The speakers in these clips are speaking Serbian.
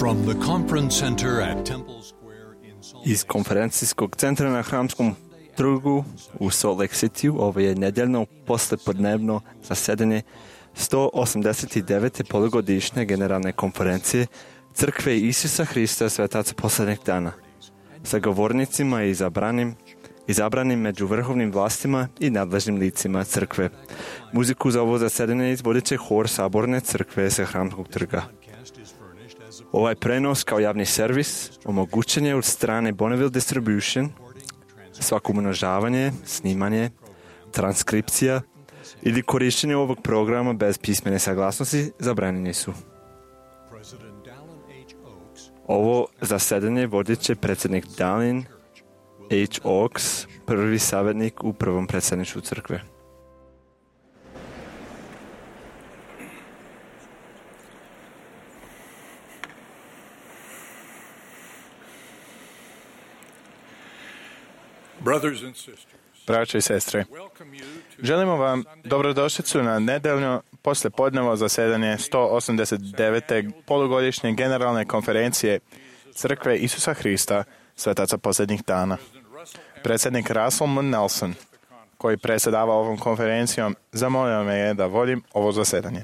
From the conference center at Temple Square in Salt Iz konferencijskog centra na Hramskom trgu u Salt Lake City ovo je nedeljno poslepodnevno zasedanje 189. polugodišnje generalne konferencije Crkve Isusa Hrista Svetaca posljednjeg dana sa govornicima i izabranim među vrhovnim vlastima i nadležnim licima crkve. Muziku za ovo zasedanje izvodit će hor Saborne crkve sa Hramskog trga. Ovaj prenos kao javni servis omogućen je od strane Bonneville Distribution. Svako umnožavanje, snimanje, transkripcija ili korištenje ovog programa bez pismene saglasnosti zabranjeni su. Ovo zasedanje vodit će predsjednik Dallin H. Oaks, prvi savjetnik u prvom predsjedništvu crkve. Braćo i sestre, želimo vam dobrodošlicu na nedeljno poslijepodnevo zasedanje 189. polugodišnje generalne konferencije Crkve Isusa Hrista Svetaca posljednjih dana. Predsjednik Russell M. Nelson, koji predsjedava ovom konferencijom, zamolio me je da vodim ovo zasedanje.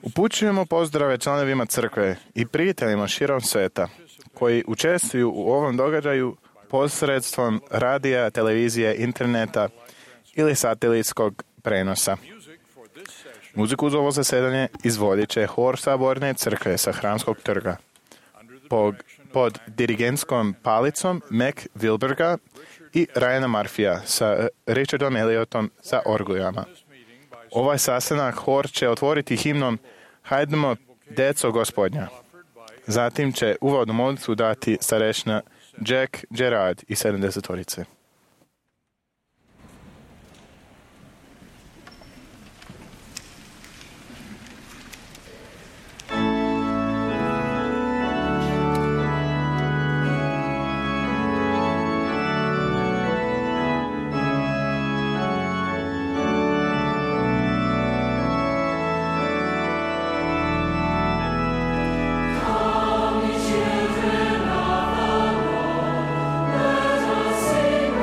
Upućujemo pozdrave članovima crkve i prijateljima širom sveta koji učestvuju u ovom događaju posredstvom radija, televizije, interneta ili satelitskog prenosa. Muziku za ovo zasedanje izvodit će hor Saborne crkve sa Hramskog trga pod dirigentskom palicom Mac Wilberga i Ryana Murphyja sa Richardom Elliotom za orguljama. Ovaj sastanak hor će otvoriti himnom Hajdemo, deco Gospodnja. Zatim će uvodnu molitvu dati starešina Jack Gerard i 70-torice. Sing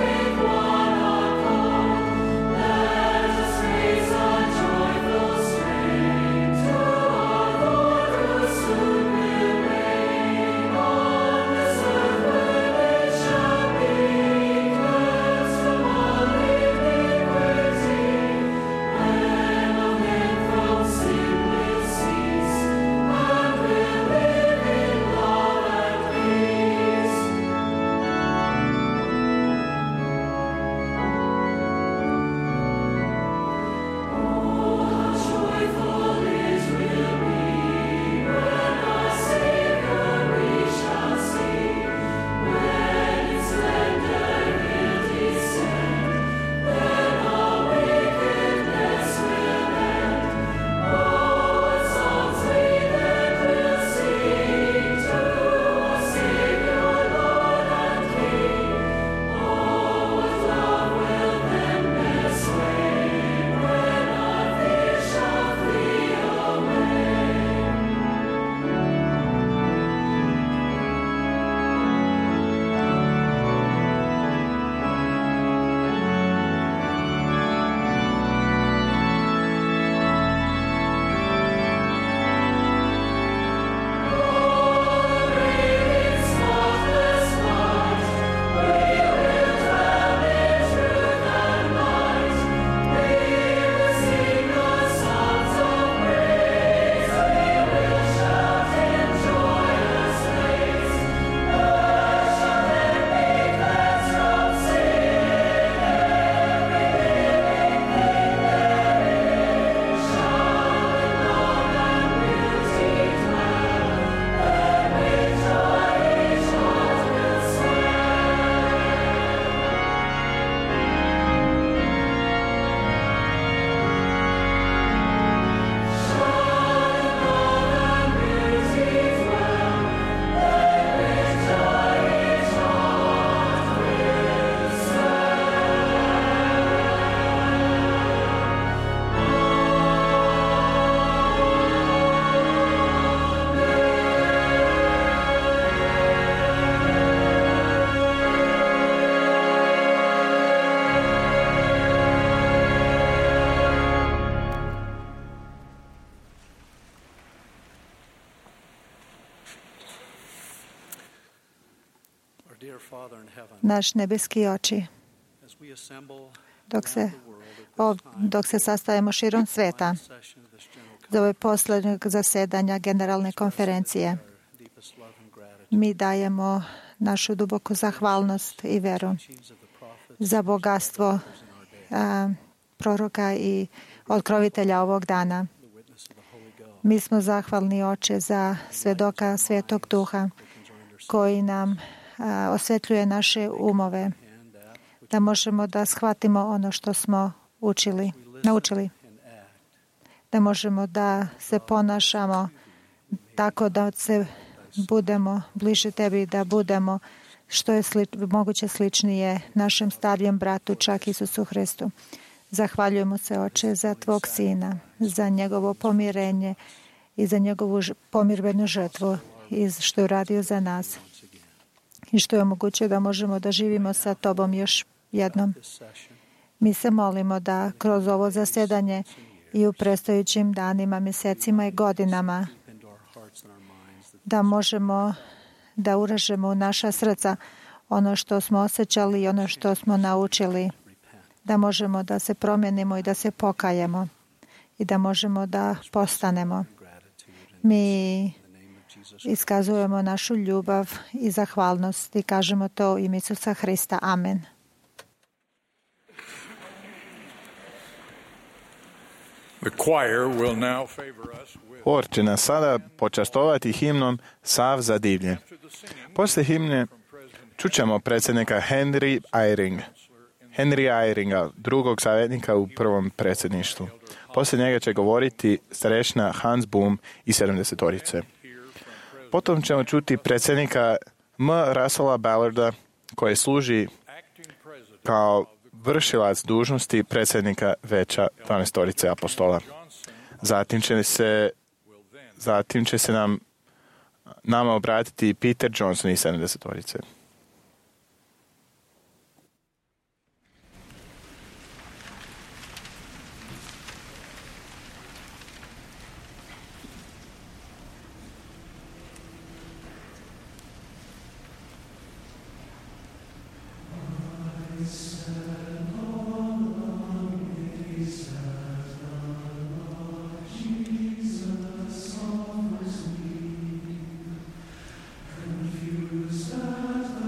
Naš nebeski oči, dok se sastajemo širom sveta za ove poslednjeg zasedanja Generalne konferencije, mi dajemo našu duboku zahvalnost i veru za bogatstvo proroka i otkrovitelja ovog dana. Mi smo zahvalni, Oče, za svedoka Svetog Duha koji nam osvetljuje naše umove, da možemo da shvatimo ono što smo naučili, da možemo da se ponašamo tako da se budemo bliže Tebi, da budemo što je moguće sličnije našem starijem bratu, čak Isusu Hristu. Zahvaljujemo se, Oče, za Tvog Sina, za njegovo pomirenje i za njegovu pomirbenu žrtvu i što je uradio za nas i što je omogućio da možemo da živimo sa Tobom još jednom. Mi se molimo da kroz ovo zasedanje i u predstojećim danima, mjesecima i godinama da možemo da uražemo u naša srca ono što smo osjećali i ono što smo naučili, da možemo da se promijenimo i da se pokajemo i da možemo da postanemo. Mi iskazujemo našu ljubav i zahvalnost i kažemo to u ime Isusa Hrista. Amen. Hor će nas sada počastovati himnom Sav za divlje. Poslije himne čućemo predsjednika Henry Eyringa, drugog savjetnika u prvom predsjedništvu. Poslije njega će govoriti starešina Hans Boom i 70-torice. Potom ćemo čuti predsjednika M. Russella Ballarda koji služi kao vršilac dužnosti predsjednika veća 12-torice apostola. Zatim će se nama obratiti Peter Johnson i 70-torice. Confused at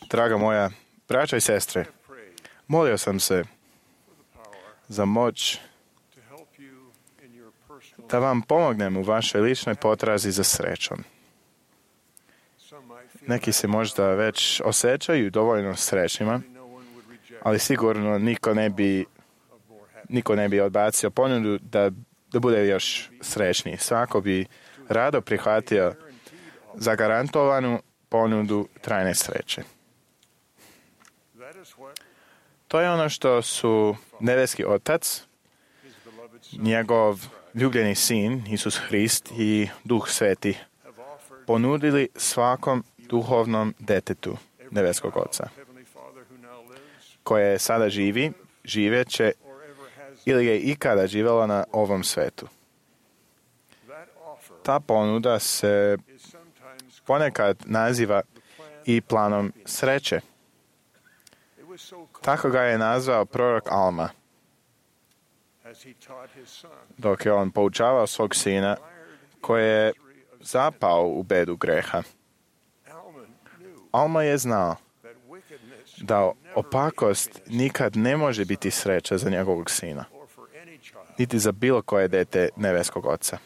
Draga moja braća i sestre, molio sam se za moć da vam pomognem u vašoj ličnoj potrazi za srećom. Neki se možda već osjećaju dovoljno srećnima, ali sigurno niko ne bi odbacio ponudu da bude još srećniji. Svako bi rado prihvatio zagarantovanu ponudu trajne sreće. To je ono što su nebeski Otac, njegov ljubljeni Sin, Isus Hrist i Duh Sveti ponudili svakom duhovnom detetu nebeskog Oca, koje sada živi, živeće ili je ikada živjela na ovom svetu. Ta ponuda se ponekad naziva i planom sreće. Tako ga je nazvao prorok Alma, dok je on poučavao svog sina koji je zapao u bedu greha. Alma je znao da opakost nikad ne može biti sreća za njegovog sina, niti za bilo koje dete nebeskog Oca.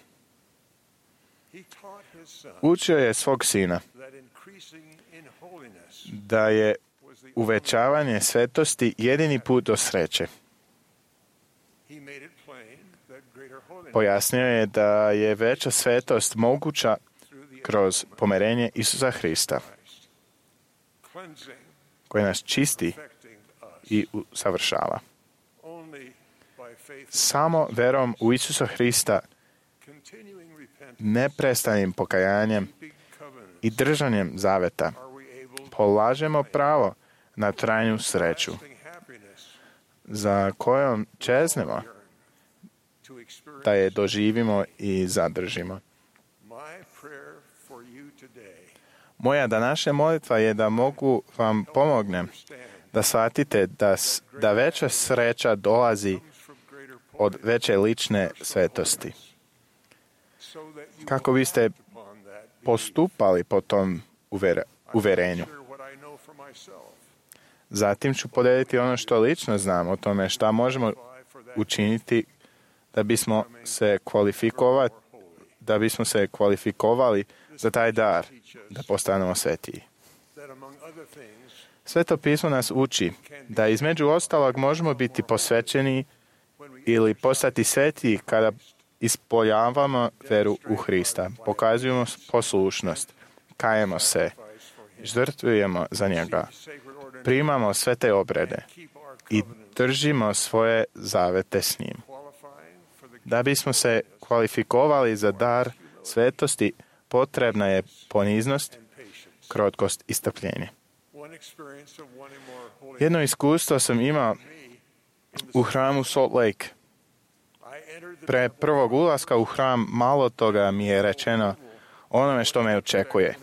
Učio je svog sina da je uvećavanje svetosti jedini put do sreće. Pojasnio je da je veća svetost moguća kroz pomirenje Isusa Hrista, koji nas čisti i usavršava. Samo verom u Isusa Hrista, neprestanim pokajanjem i držanjem zaveta polažemo pravo na trajnu sreću, za kojom čeznemo da je doživimo i zadržimo. Moja današnja molitva je da mogu vam pomognem da shvatite da veća sreća dolazi od veće lične svetosti. Kako biste postupali po tom uverenju. Zatim ću podeliti ono što lično znam o tome šta možemo učiniti da bismo se kvalifikovali za taj dar, da postanemo svetiji. Sveto pismo nas uči da između ostalog možemo biti posvećeni ili postati svetiji kada ispoljavamo veru u Hrista, pokazujemo poslušnost, kajemo se, žrtvujemo za njega, primamo sve te obrede i držimo svoje zavete s njim. Da bismo se kvalifikovali za dar svetosti, potrebna je poniznost, krotkost i strpljenje. Jedno iskustvo sam imao u hramu Salt Lake. Pre prvog ulaska u hram malo toga mi je rečeno onome što me očekuje.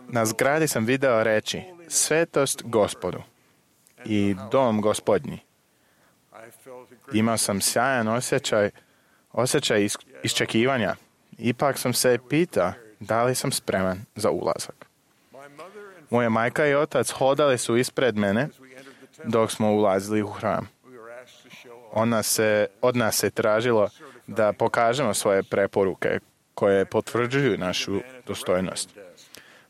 Na zgradi sam video reći svetost Gospodu i dom Gospodnji. Imao sam sjajan osjećaj iščekivanja. Ipak sam se pitao da li sam spreman za ulazak. Moja majka i otac hodali su ispred mene dok smo ulazili u hram. Od nas se tražilo da pokažemo svoje preporuke koje potvrđuju našu dostojnost.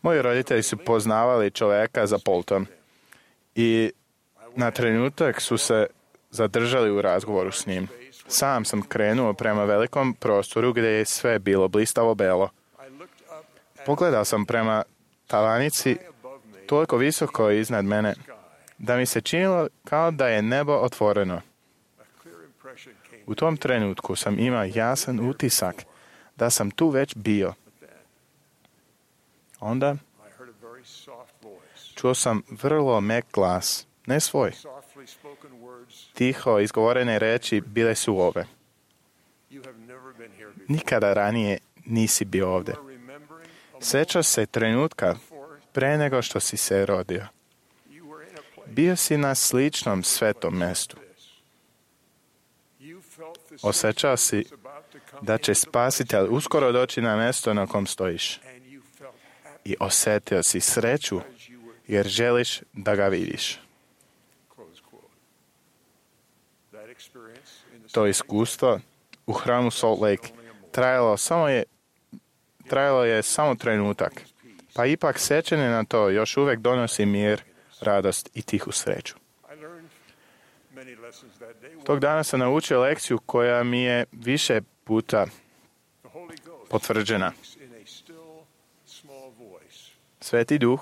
Moji roditelji su poznavali čovjeka za pultom i na trenutak su se zadržali u razgovoru s njim. Sam sam krenuo prema velikom prostoru gdje je sve bilo blistavo belo. Pogledao sam prema tavanici toliko visoko iznad mene da mi se činilo kao da je nebo otvoreno. U tom trenutku sam imao jasan utisak da sam tu već bio. Onda čuo sam vrlo mek glas, ne svoj. Tiho izgovorene reči bile su ove. Nikada ranije nisi bio ovdje. Sjećaš se trenutka pre nego što si se rodio. Bio si na sličnom svetom mjestu. Osjećao si da će Spasitelj uskoro doći na mjesto na kom stojiš. I osjetio si sreću jer želiš da ga vidiš. To iskustvo u hramu Salt Lake trajalo je samo trenutak, pa ipak sjećanje na to još uvijek donosi mir, radost i tihu sreću. Tog dana sam naučio lekciju koja mi je više puta potvrđena. Sveti Duh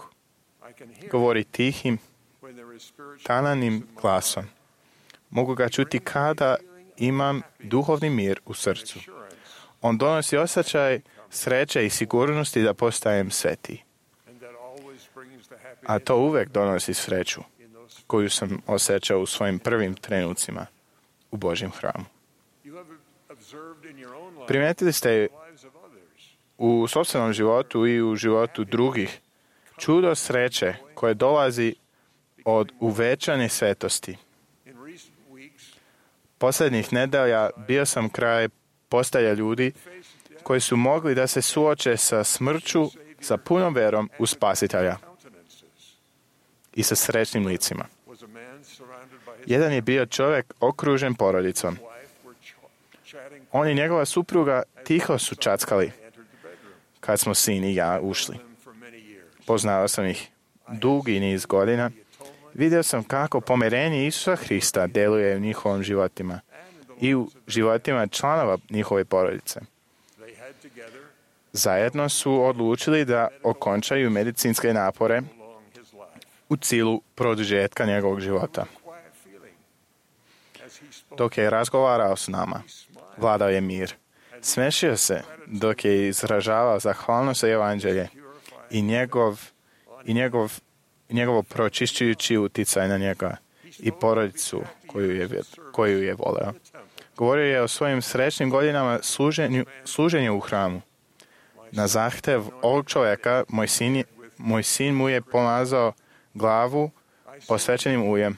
govori tihim, tananim glasom. Mogu ga čuti kada imam duhovni mir u srcu. On donosi osjećaj sreće i sigurnosti da postajem sveti. A to uvijek donosi sreću koju sam osjećao u svojim prvim trenucima u Božjem hramu. Primijetili ste u sopstvenom životu i u životu drugih čudo sreće koje dolazi od uvećane svetosti. Posljednjih nedelja bio sam kraj postelja ljudi koji su mogli da se suoče sa smrću sa punom verom u Spasitelja i sa srećnim licima. Jedan je bio čovjek okružen porodicom. On i njegova supruga tiho su čackali kad smo sin i ja ušli. Poznao sam ih dugi niz godina. Vidio sam kako pomirenje Isusa Hrista djeluje u njihovim životima i u životima članova njihove porodice. Zajedno su odlučili da okončaju medicinske napore u cilju produžetka njegovog života. Dok je razgovarao s nama, vladao je mir. Smešio se dok je izražavao zahvalnost za evanđelje i njegovo pročišćujući uticaj na njega i porodicu koju je voleo. Govorio je o svojim srećnim godinama služenju u hramu. Na zahtev ovog čovjeka moj sin mu je pomazao glavu posvećenim uljem.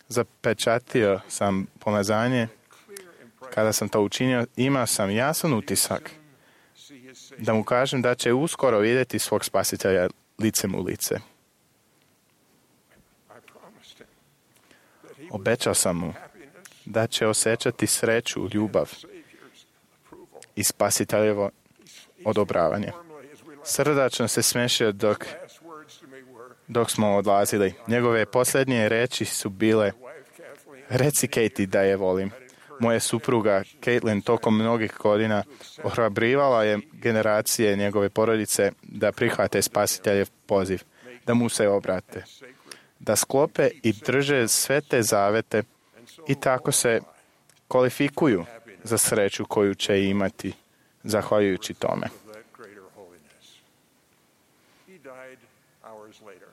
Zapečatio sam pomazanje. Kada sam to učinio, imao sam jasan utisak da mu kažem da će uskoro vidjeti svog Spasitelja licem u lice. Obećao sam mu da će osjećati sreću, ljubav i Spasiteljevo odobravanje. Srdačno se smešio dok smo odlazili. Njegove posljednje reči su bile: reci Katie da je volim. Moja supruga Caitlin tokom mnogih godina ohrabrivala je generacije njegove porodice da prihvate Spasiteljev poziv, da mu se obrate, da sklope i drže sve te zavete i tako se kvalifikuju za sreću koju će imati zahvaljujući tome.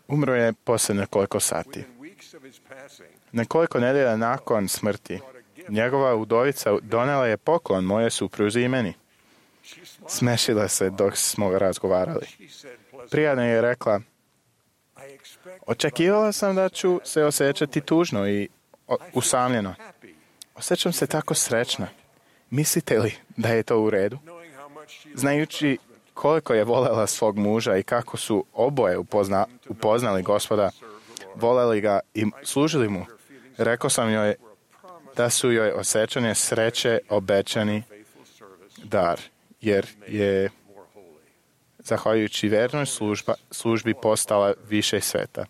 Umro je poslije nekoliko sati. Nekoliko nedelja nakon smrti, njegova udovica donela je poklon moje supruzi i meni. Smešila se dok smo razgovarali. Prijatno je rekla: očekivala sam da ću se osjećati tužno i usamljeno. Osjećam se tako srećna. Mislite li da je to u redu? Znajući koliko je voljela svog muža i kako su oboje upoznali Gospoda, voljeli ga i služili mu, rekao sam joj da su joj osjećanje sreće obećani dar, jer je zahvaljujući vernoj službi postala više sveta.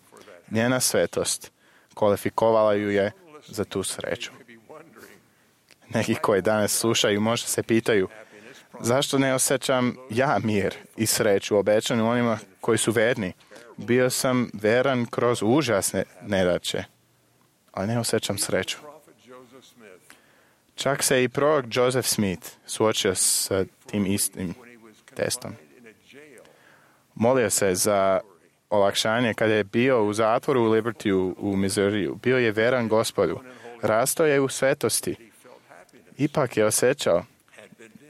Njena svetost kvalifikovala ju je za tu sreću. Neki koji danas slušaju možda se pitaju: zašto ne osjećam ja mir i sreću obećanu onima koji su verni? Bio sam veran kroz užasne nedaće, ali ne osjećam sreću. Čak se i prorok Joseph Smith suočio s tim istim testom. Molio se za olakšanje kada je bio u zatvoru u Libertyu u Missouriju. Bio je veran Gospodu. Rastao je u svetosti. Ipak je osjećao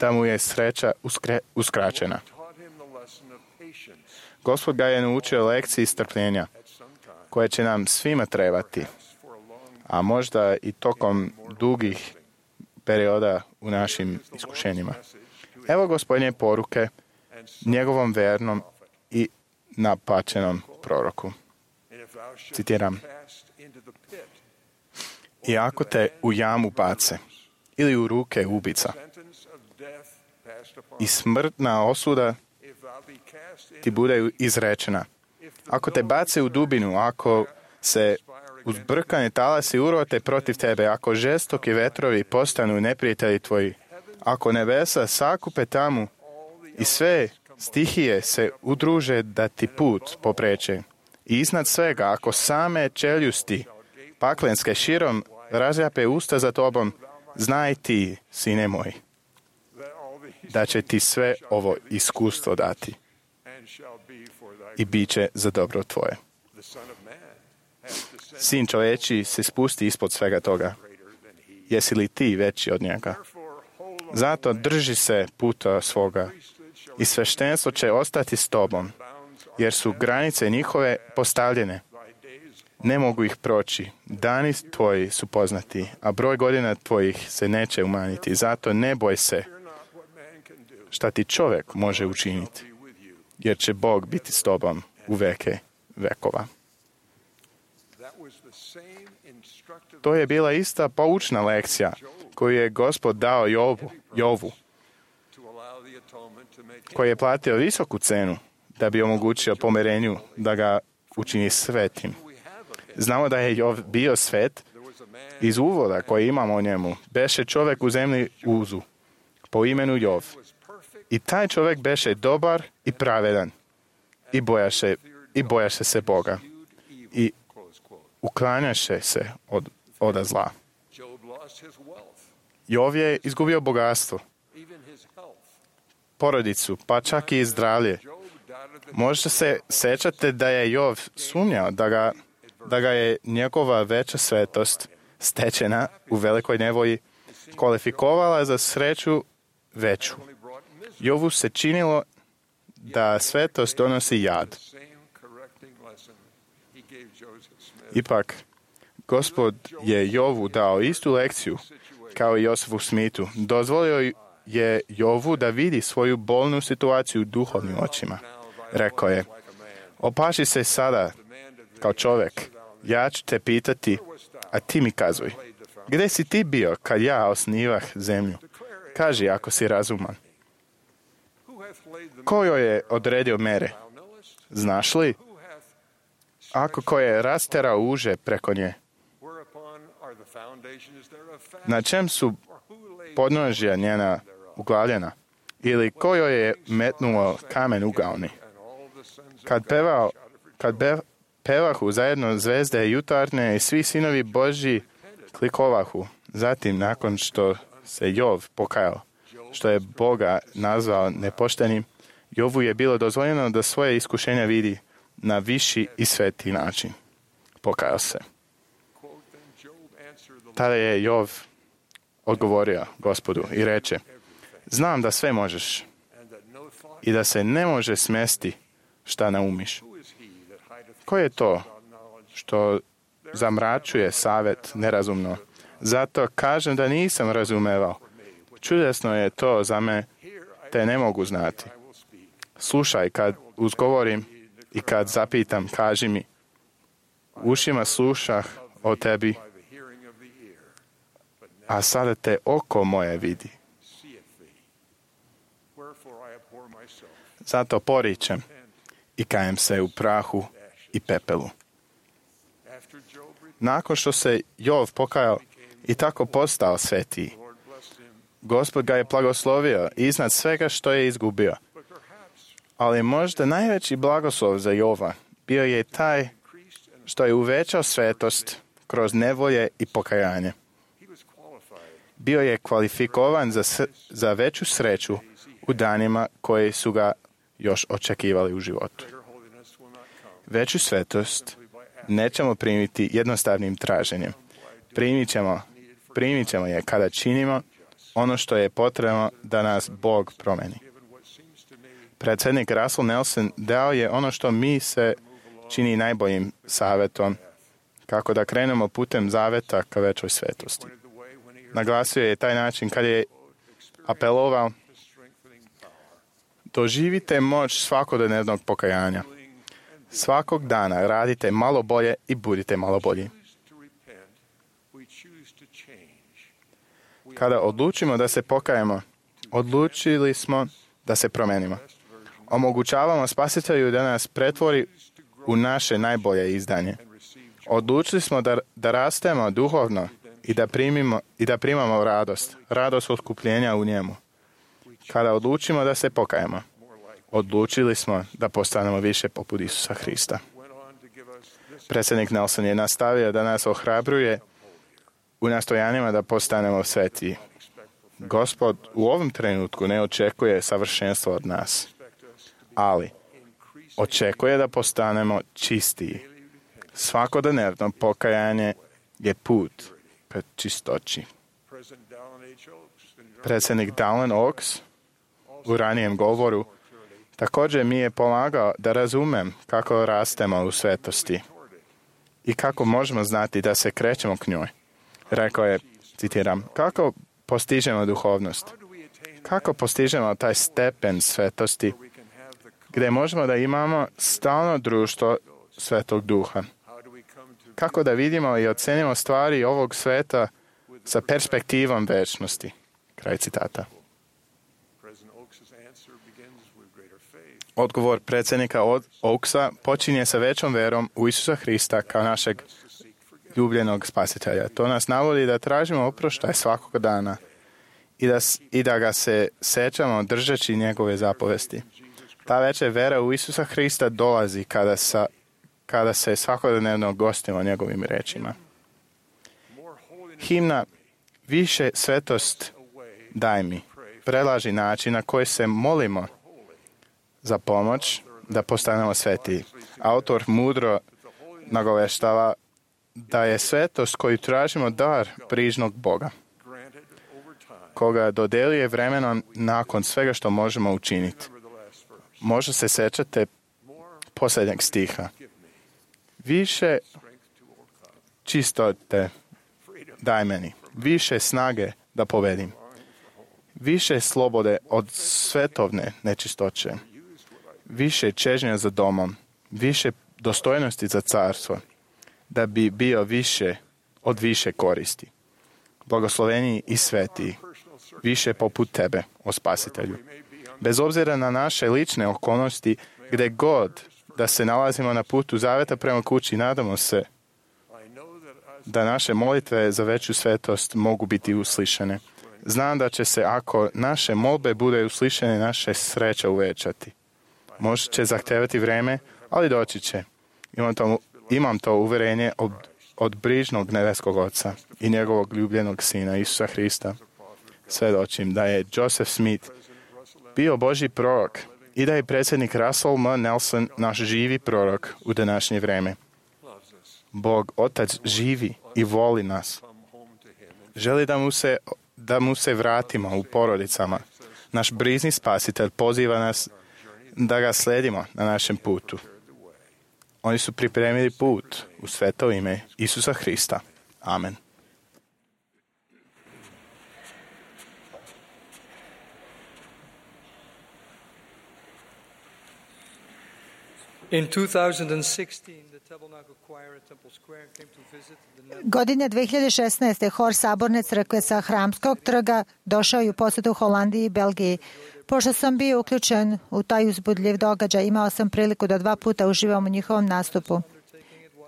da mu je sreća uskraćena. Gospod ga je naučio lekciji strpljenja, koje će nam svima trebati, a možda i tokom dugih perioda u našim iskušenjima. Evo Gospodnje poruke njegovom vernom i napačenom proroku. Citiram. I ako te u jamu bace ili u ruke ubica i smrtna osuda ti bude izrečena. Ako te bace u dubinu, ako se uzbrkane talasi urote protiv tebe, ako žestoki vetrovi postanu neprijatelji tvoji, ako nebesa sakupe tamu i sve stihije se udruže da ti put popreče. I iznad svega, ako same čeljusti paklenske širom razjape usta za tobom, znaj ti, sine moj, da će ti sve ovo iskustvo dati i bit će za dobro tvoje. Sin čovječi se spusti ispod svega toga. Jesi li ti veći od njega? Zato drži se puta svoga i sveštenstvo će ostati s tobom, jer su granice njihove postavljene. Ne mogu ih proći. Dani tvoji su poznati, a broj godina tvojih se neće umanjiti. Zato ne boj se šta ti čovjek može učiniti, jer će Bog biti s tobom u veke vekova. To je bila ista poučna lekcija koju je Gospod dao Jovu, koji je platio visoku cenu da bi omogućio pomirenju da ga učini svetim. Znamo da je Jov bio svet iz uvoda koji imamo o njemu. Beše čovjek u zemlji Uzu, po imenu Jov. I taj čovjek beše dobar i pravedan i bojaše se Boga i uklanjaše se od zla. Jov je izgubio bogatstvo, porodicu, pa čak i zdravlje. Možda se sećate da je Jov sumnjao da ga je njegova veća svetost stečena u velikoj nevolji kvalifikovala za sreću veću. Jovu se činilo da svetost donosi jad. Ipak, Gospod je Jovu dao istu lekciju kao i Josefu Smithu. Dozvolio je Jovu da vidi svoju bolnu situaciju duhovnim očima. Rekao je, opaši se sada kao čovjek, ja ću te pitati, a ti mi kazuj. Gdje si ti bio kad ja osnivah zemlju? Kaži ako si razuman. Ko joj je odredio mere? Znaš li? Ako ko je rasterao uže preko nje? Na čem su podnožja njena uglavljena? Ili ko joj je metnuo kamen ugaoni? Kad pevahu zajedno zvezde jutarnje i svi sinovi Božji klikovahu. Zatim, nakon što se Jov pokajao, što je Boga nazvao nepoštenim, Jovu je bilo dozvoljeno da svoje iskušenja vidi na viši i sveti način. Pokajao se. Tada je Jov odgovorio Gospodu i reče, znam da sve možeš i da se ne može smesti šta naumiš. Ko je to što zamračuje savjet nerazumno? Zato kažem da nisam razumevao. Čudesno je to za me, te ne mogu znati. Slušaj kad uzgovorim i kad zapitam, kaži mi. Ušima slušah o tebi, a sada te oko moje vidi. Zato poričem i kajem se u prahu i pepelu. Nakon što se Jov pokajao i tako postao svetiji, Gospod ga je blagoslovio iznad svega što je izgubio. Ali možda najveći blagoslov za Jova bio je taj što je uvećao svetost kroz nevolje i pokajanje. Bio je kvalifikovan za veću sreću u danima koji su ga još očekivali u životu. Veću svetost nećemo primiti jednostavnim traženjem. Primit ćemo je kada činimo ono što je potrebno da nas Bog promeni. Predsjednik Russell Nelson dao je ono što mi se čini najboljim savjetom, kako da krenemo putem zaveta ka većoj svetosti. Naglasio je taj način kad je apelovao Doživite moć svakodnevnog pokajanja. Svakog dana radite malo bolje i budite malo bolji. Kada odlučimo da se pokajemo, odlučili smo da se promenimo. Omogućavamo Spasitelju da nas pretvori u naše najbolje izdanje. Odlučili smo da rastemo duhovno i da primamo radost otkupljenja u njemu. Kada odlučimo da se pokajemo, odlučili smo da postanemo više poput Isusa Hrista. Predsjednik Nelson je nastavio da nas ohrabruje u nastojanjima da postanemo svetiji. Gospod u ovom trenutku ne očekuje savršenstvo od nas, ali očekuje da postanemo čistiji. Svakodnevno pokajanje je put ka čistoći. Predsjednik Dallin Oaks u ranijem govoru također mi je pomagao da razumem kako rastemo u svetosti i kako možemo znati da se krećemo k njoj. Rekao je, citiram, kako postižemo duhovnost? Kako postižemo taj stepen svetosti gdje možemo da imamo stalno društvo Svetog Duha? Kako da vidimo i ocenimo stvari ovog sveta sa perspektivom večnosti? Kraj citata. Odgovor predsjednika Oaksa počinje sa većom verom u Isusa Hrista kao našeg ljubljenog spasitelja. To nas navodi da tražimo oproštaj svakog dana i da ga se sećamo držeći njegove zapovesti. Ta veća vera u Isusa Hrista dolazi kada se svakodnevno gostimo njegovim rečima. Himna Više svetost daj mi predlaži način na koji se molimo za pomoć da postanemo svetiji. Autor mudro nagoveštava da je svetost koju tražimo dar brižnog Boga, koga dodeljuje vremenom nakon svega što možemo učiniti. Možda se sećate posljednjeg stiha. Više čistote daj meni, više snage da povedim, više slobode od svetovne nečistoće, više čežnja za domom, više dostojnosti za carstvo, da bi bio više koristi. Blagosloveni i svetiji, više poput tebe, o Spasitelju. Bez obzira na naše lične okolnosti, gdje god da se nalazimo na putu zaveta prema kući, nadamo se da naše molitve za veću svetost mogu biti uslišene. Znam da će se, ako naše molbe bude uslišene, naše sreća uvećati. Možda će zahtevati vreme, ali doći će. Imam to uverenje od brižnog nebeskog Oca i njegovog ljubljenog Sina, Isusa Hrista. Svedočim da je Joseph Smith bio Božji prorok i da je predsjednik Russell M. Nelson naš živi prorok u današnje vreme. Bog Otac živi i voli nas. Želi da mu se vratimo u porodicama. Naš brižni Spasitelj poziva nas da ga sledimo na našem putu. Oni su pripremili put u sveto ime Isusa Hrista. Amen. In 2016, the Tabernacle Choir at Temple Square came to visit the Netherlands. Godine 2016. hor Saborne crkve sa Hramskog trga došao je u posjetu Holandiji i Belgiji. Pošto sam bio uključen u taj uzbudljiv događaj, imao sam priliku da 2 puta uživam u njihovom nastupu.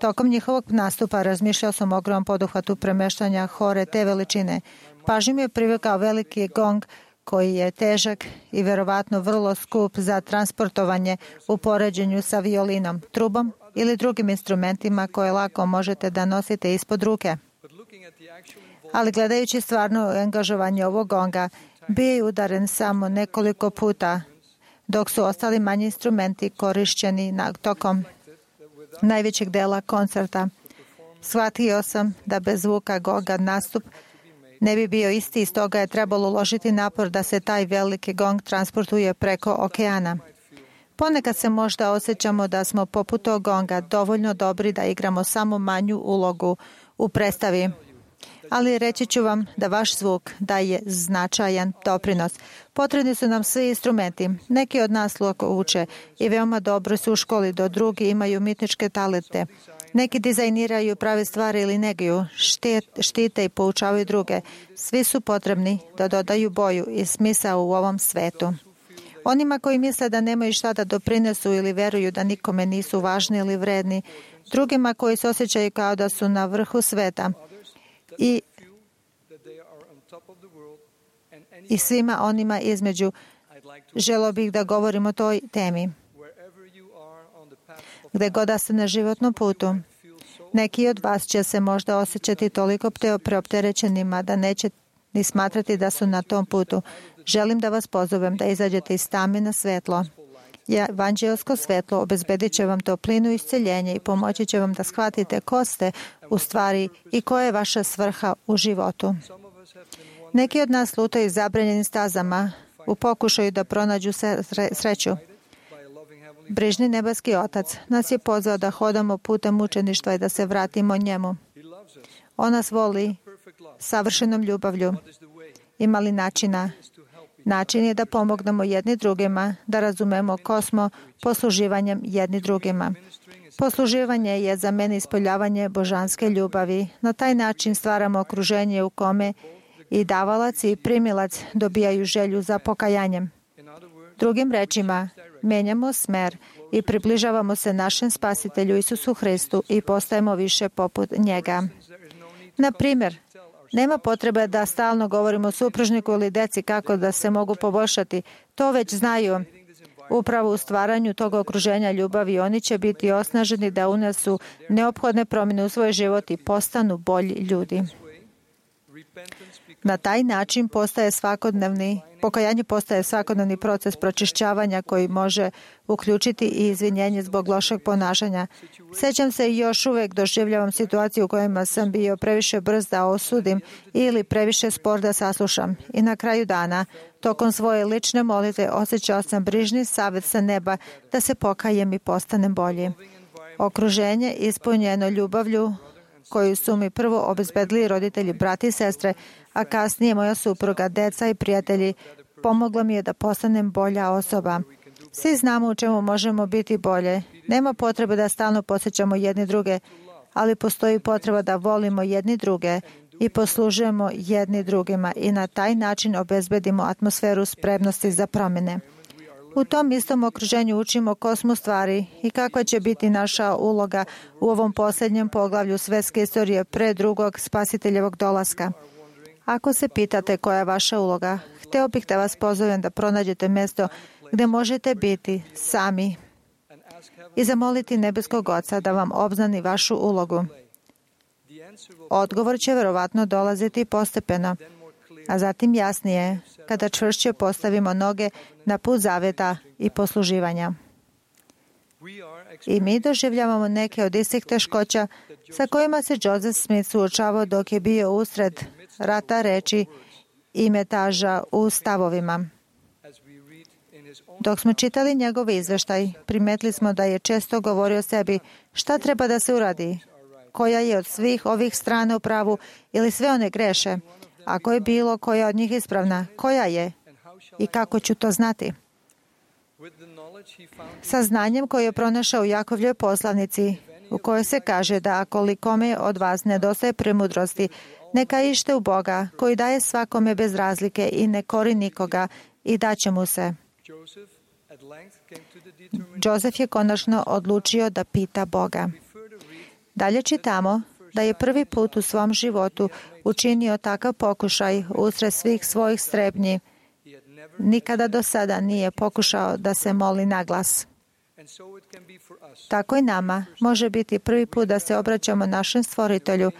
Tokom njihovog nastupa razmišljao sam o ogromnom poduhvatu premeštanja hore te veličine. Pažnju mi je privukao veliki gong koji je težak i verovatno vrlo skup za transportovanje u poređenju sa violinom, trubom ili drugim instrumentima koje lako možete da nosite ispod ruke. Ali gledajući stvarno angažovanje ovog gonga, bio je udaren samo nekoliko puta, dok su ostali manji instrumenti korišćeni tokom najvećeg dela koncerta. Shvatio sam da bez zvuka gonga nastup ne bi bio isti, stoga je trebalo uložiti napor da se taj veliki gong transportuje preko okeana. Ponekad se možda osjećamo da smo poput tog gonga dovoljno dobri da igramo samo manju ulogu u predstavi. Ali reći ću vam da vaš zvuk daje značajan doprinos. Potrebni su nam svi instrumenti. Neki od nas lako uče i veoma dobro su u školi, do drugi imaju umjetničke talente. Neki dizajniraju prave stvari ili neguju, štite i poučavaju druge. Svi su potrebni da dodaju boju i smisao u ovom svetu. Onima koji misle da nemaju šta da doprinesu ili veruju da nikome nisu važni ili vredni, drugima koji se osjećaju kao da su na vrhu sveta i svima onima između, želio bih da govorim o toj temi. Gde god da ste na životnom putu, neki od vas će se možda osjećati toliko preopterećenima da neće ni smatrati da su na tom putu. Želim da vas pozovem da izađete iz tame na svetlo. Evanđelsko svetlo obezbedit će vam toplinu i isceljenje i pomoći će vam da shvatite ko ste u stvari i koja je vaša svrha u životu. Neki od nas lutaju zabranjenim stazama u pokušaju da pronađu sreću. Brižni nebeski Otac nas je pozvao da hodamo putem mučeništva i da se vratimo njemu. On nas voli savršenom ljubavlju. Ima li načina? Način je da pomognemo jedni drugima, da razumemo ko smo posluživanjem jedni drugima. Posluživanje je za mene ispoljavanje božanske ljubavi. Na taj način stvaramo okruženje u kome i davalac i primilac dobijaju želju za pokajanjem. Drugim rečima, menjamo smer i približavamo se našem Spasitelju Isusu Hristu i postajemo više poput njega. Na primjer, nema potrebe da stalno govorimo supružniku ili deci kako da se mogu poboljšati. To već znaju. Upravo u stvaranju tog okruženja ljubavi oni će biti osnaženi da unesu neophodne promjene u svoj život i postanu bolji ljudi. Na taj način pokajanje postaje svakodnevni proces pročišćavanja koji može uključiti i izvinjenje zbog lošeg ponašanja. Sjećam se i još uvijek doživljavam situaciju u kojima sam bio previše brz da osudim ili previše spor da saslušam. I na kraju dana, tokom svoje lične molitve, osjećao sam brižni savjet sa neba da se pokajem i postanem bolji. Okruženje ispunjeno ljubavlju koju su mi prvo obezbedili roditelji, brati i sestre, a kasnije moja supruga, deca i prijatelji, pomoglo mi je da postanem bolja osoba. Svi znamo u čemu možemo biti bolje. Nema potrebe da stalno posjećamo jedni druge, ali postoji potreba da volimo jedni druge i poslužujemo jedni drugima i na taj način obezbedimo atmosferu spremnosti za promjene. U tom istom okruženju učimo ko smo stvari i kakva će biti naša uloga u ovom posljednjem poglavlju svetske istorije pre drugog Spasiteljevog dolaska. Ako se pitate koja je vaša uloga, hteo bih da vas pozovem da pronađete mjesto gdje možete biti sami i zamoliti nebeskog Oca da vam obznani vašu ulogu. Odgovor će verovatno dolaziti postepeno, a zatim jasnije, kada čvršće postavimo noge na put zaveta i posluživanja. I mi doživljavamo neke od istih teškoća sa kojima se Joseph Smith suočavao dok je bio usred rata reči i metaža u stavovima. Dok smo čitali njegov izveštaj, primetili smo da je često govorio sebi šta treba da se uradi, koja je od svih ovih strana u pravu ili sve one greše. Ako je bilo koja od njih ispravna, koja je i kako ću to znati? Sa znanjem koje je pronašao u Jakovljevoj poslanici, u kojoj se kaže da ako kome od vas nedostaje premudrosti, neka ište u Boga, koji daje svakome bez razlike i ne kori nikoga i daće mu se. Josef je konačno odlučio da pita Boga. Dalje čitamo da je prvi put u svom životu učinio takav pokušaj usred svih svojih strepnji. Nikada do sada nije pokušao da se moli na glas. Tako i nama može biti prvi put da se obraćamo našem Stvoritelju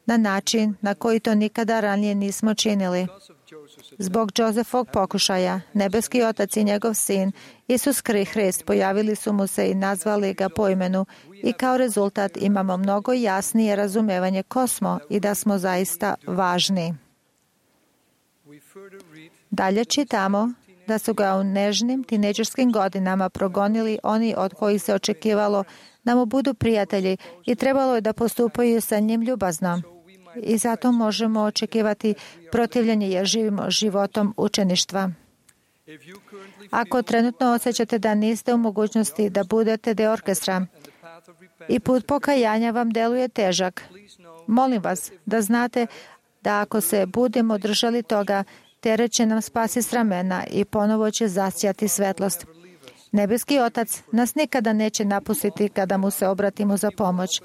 na način na koji to nikada ranije nismo činili. Zbog Josefovog pokušaja, nebeski Otac i njegov sin, Isus Hrist, pojavili su mu se i nazvali ga po imenu i kao rezultat imamo mnogo jasnije razumevanje ko smo i da smo zaista važni. Dalje čitamo da su ga u nežnim tinejdžerskim godinama progonili oni od kojih se očekivalo da mu budu prijatelji i trebalo je da postupaju sa njim ljubazno. i zato možemo očekivati protivljenje jer živimo životom učeništva. Ako trenutno osjećate da niste u mogućnosti da budete deo orkestra i put pokajanja vam deluje težak, molim vas da znate da ako se budemo držali toga, teret će nam spasti s ramena i ponovo će zasijati svetlost. Nebeski Otac nas nikada neće napustiti kada mu se obratimo za pomoć.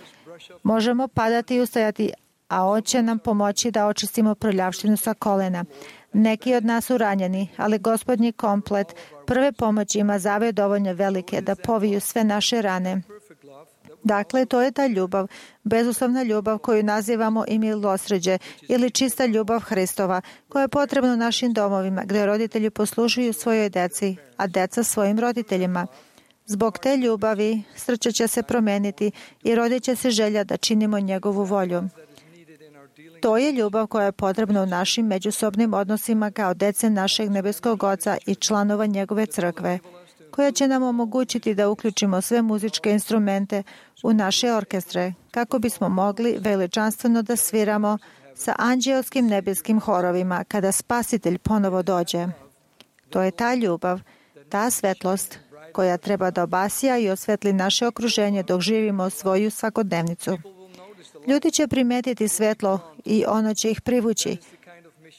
Možemo padati i ustajati, a On će nam pomoći da očistimo prljavštinu sa kolena. Neki od nas su ranjeni, ali Gospodnji komplet prve pomoći ima zave dovoljno velike da poviju sve naše rane. Dakle, to je ta ljubav, bezuslovna ljubav koju nazivamo i milosrđe ili čista ljubav Hristova, koja je potrebna u našim domovima, gdje roditelji poslužuju svojoj deci, a deca svojim roditeljima. Zbog te ljubavi srce će se promeniti i rodit će se želja da činimo njegovu volju. To je ljubav koja je potrebna u našim međusobnim odnosima kao dece našeg nebeskog Oca i članova njegove crkve, koja će nam omogućiti da uključimo sve muzičke instrumente u naše orkestre, kako bismo mogli veličanstveno da sviramo sa anđelskim nebeskim horovima kada Spasitelj ponovo dođe. To je ta ljubav, ta svetlost koja treba da obasja i osvetli naše okruženje dok živimo svoju svakodnevnicu. Ljudi će primetiti svetlo i ono će ih privući.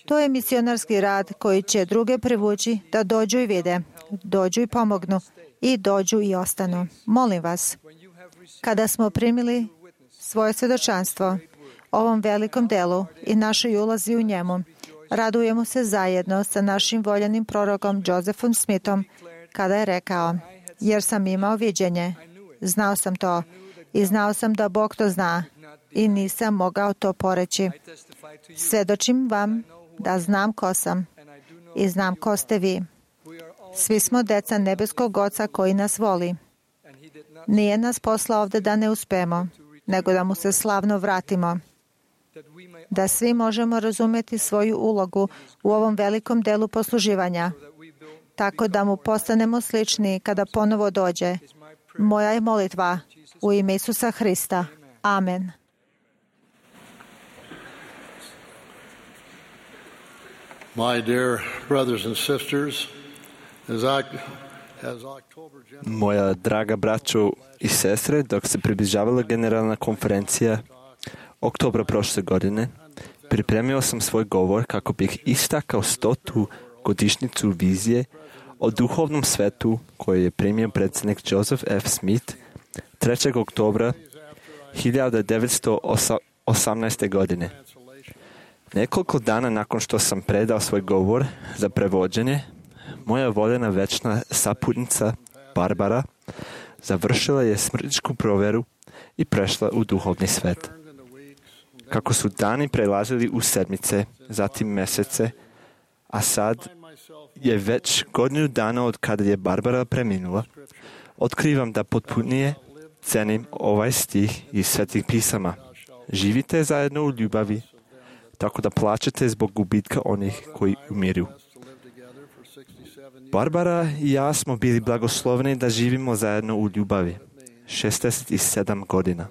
To je misionarski rad koji će druge privući da dođu i vide, dođu i pomognu i dođu i ostanu. Molim vas, kada smo primili svoje svjedočanstvo ovom velikom delu i našoj ulazi u njemu, radujemo se zajedno sa našim voljenim prorokom Josephom Smithom kada je rekao, jer sam imao viđenje, znao sam to i znao sam da Bog to zna i nisam mogao to poreći. Svjedočim vam da znam ko sam i znam ko ste vi. Svi smo deca nebeskog Oca koji nas voli. Nije nas poslao ovdje da ne uspemo, nego da mu se slavno vratimo. Da svi možemo razumjeti svoju ulogu u ovom velikom delu posluživanja, tako da mu postanemo slični kada ponovo dođe. Moja je molitva u ime Isusa Hrista. Amen. My dear brothers and sisters, Moja draga braćo i sestre, dok se približavala generalna konferencija oktobra prošle godine, pripremio sam svoj govor kako bih istakao 100. godišnjicu vizije o duhovnom svetu koju je primio predsjednik Joseph F. Smith 3. oktobra 1918. godine. Nekoliko dana nakon što sam predao svoj govor za prevođenje, moja voljena večna saputnica Barbara završila je smrtničku provjeru i prešla u duhovni svet. Kako su dani prelazili u sedmice, zatim mesece, a sad je već godinu dana od kada je Barbara preminula, otkrivam da potpunije cenim ovaj stih iz Svetih pisama. Živite zajedno u ljubavi, tako da plačete zbog gubitka onih koji umiru. Barbara i ja smo bili blagosloveni da živimo zajedno u ljubavi 67 godina.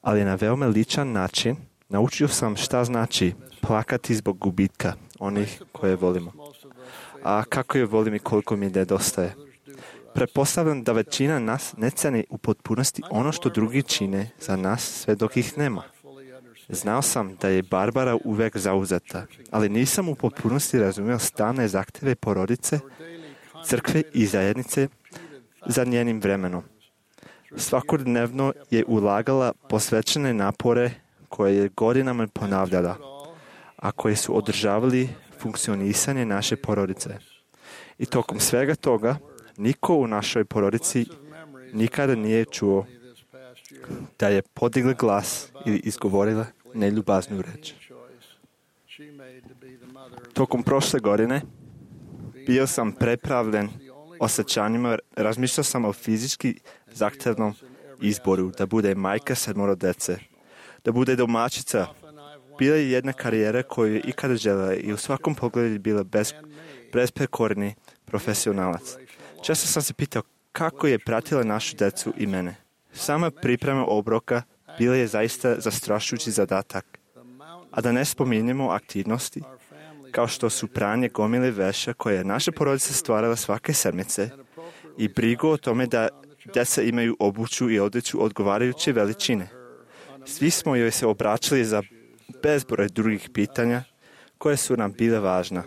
Ali na veoma ličan način naučio sam šta znači plakati zbog gubitka onih koje volimo. A kako je volim i koliko mi nedostaje. Pretpostavljam da većina nas ne ceni u potpunosti ono što drugi čine za nas sve dok ih nema. Znao sam da je Barbara uvek zauzeta, ali nisam u potpunosti razumio stalne zahtjeve porodice, crkve i zajednice za njenim vremenom. Svakodnevno je ulagala posvećene napore koje je godinama ponavljala, a koje su održavali funkcionisanje naše porodice. I tokom svega toga, niko u našoj porodici nikada nije čuo da je podigla glas ili izgovorila neljubaznu reč. Tokom prošle godine bio sam prepravljen osjećanjima, razmišljao sam o fizički zahtjevnom izboru da bude majka 7 dece, da bude domaćica. Bila je jedna karijera koju je ikada željela i u svakom pogledu bila besprekorni profesionalac. Često sam se pitao kako je pratila našu decu i mene. Sama priprema obroka bila je zaista zastrašujući zadatak. A da ne spominjemo aktivnosti, kao što su pranje gomile veša koje je naša porodica stvarala svake sedmice i brigu o tome da djeca imaju obuću i odjeću odgovarajuće veličine. Svi smo joj se obraćali za bezbroj drugih pitanja koje su nam bile važna.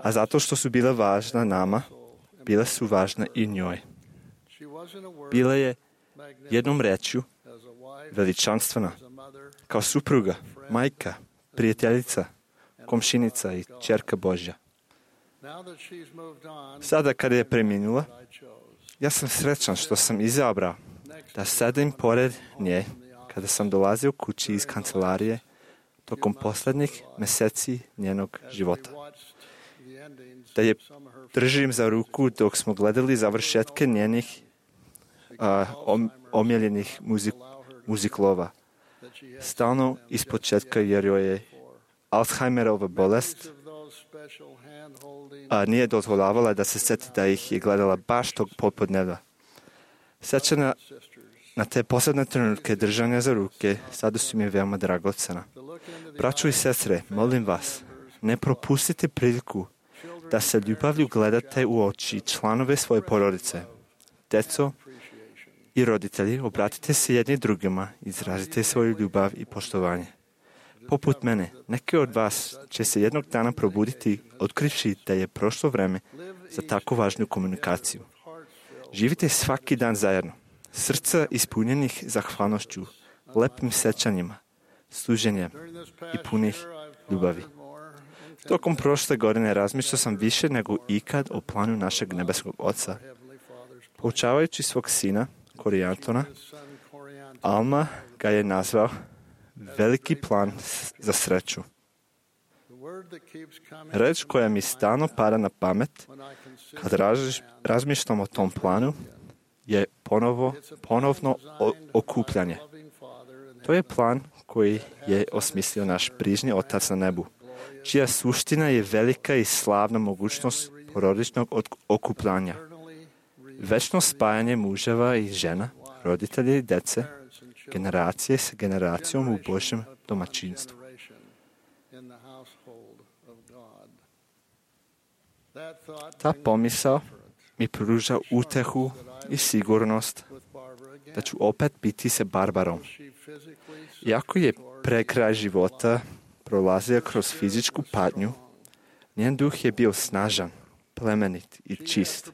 A zato što su bile važna nama, bile su važna i njoj. Bila je jednom rečju veličanstvena, kao supruga, majka, prijateljica, komšinica i ćerka Božja. Sada kada je preminula, ja sam srećan što sam izabrao da sedim pored nje kada sam dolazio kući iz kancelarije tokom posljednjih mjeseci njenog života. Da je držim za ruku dok smo gledali završetke njenih omiljenih muziklova. Stalno ispočetka jer joj je Alzheimerova bolest, a nije dozvoljavala da se sjeti da ih je gledala baš tog popodneva. Sjećanja na te posebne trenutke držanja za ruke sada su mi veoma dragocena. Braćo i sestre, molim vas, ne propustite priliku da se ljubavlju gledate u oči članove svoje porodice. Djeco i roditelji, obratite se jedni drugima, izrazite svoju ljubav i poštovanje. Poput mene, neki od vas će se jednog dana probuditi otkrivši da je prošlo vreme za tako važnu komunikaciju. Živite svaki dan zajedno, srca ispunjenih zahvalnošću, lepim sjećanjima, služenjem i punih ljubavi. Tokom prošle godine razmišljao sam više nego ikad o planu našeg nebeskog Oca. Poučavajući svog sina, Korijantona, Alma ga je nazvao veliki plan za sreću. Reč koja mi stalno pada na pamet kad razmišljam o tom planu je ponovno okupljanje. To je plan koji je osmislio naš brižni Otac na nebu, čija suština je velika i slavna mogućnost porodičnog okupljanja. Večno spajanje muževa i žena, roditelja i djece, generacije s generacijom u Božjem domaćinstvu. Ta pomisao mi pruža utehu i sigurnost da ću opet biti sa Barbarom. Iako je pre kraj života prolazio kroz fizičku patnju, njen duh je bio snažan, plemenit i čist.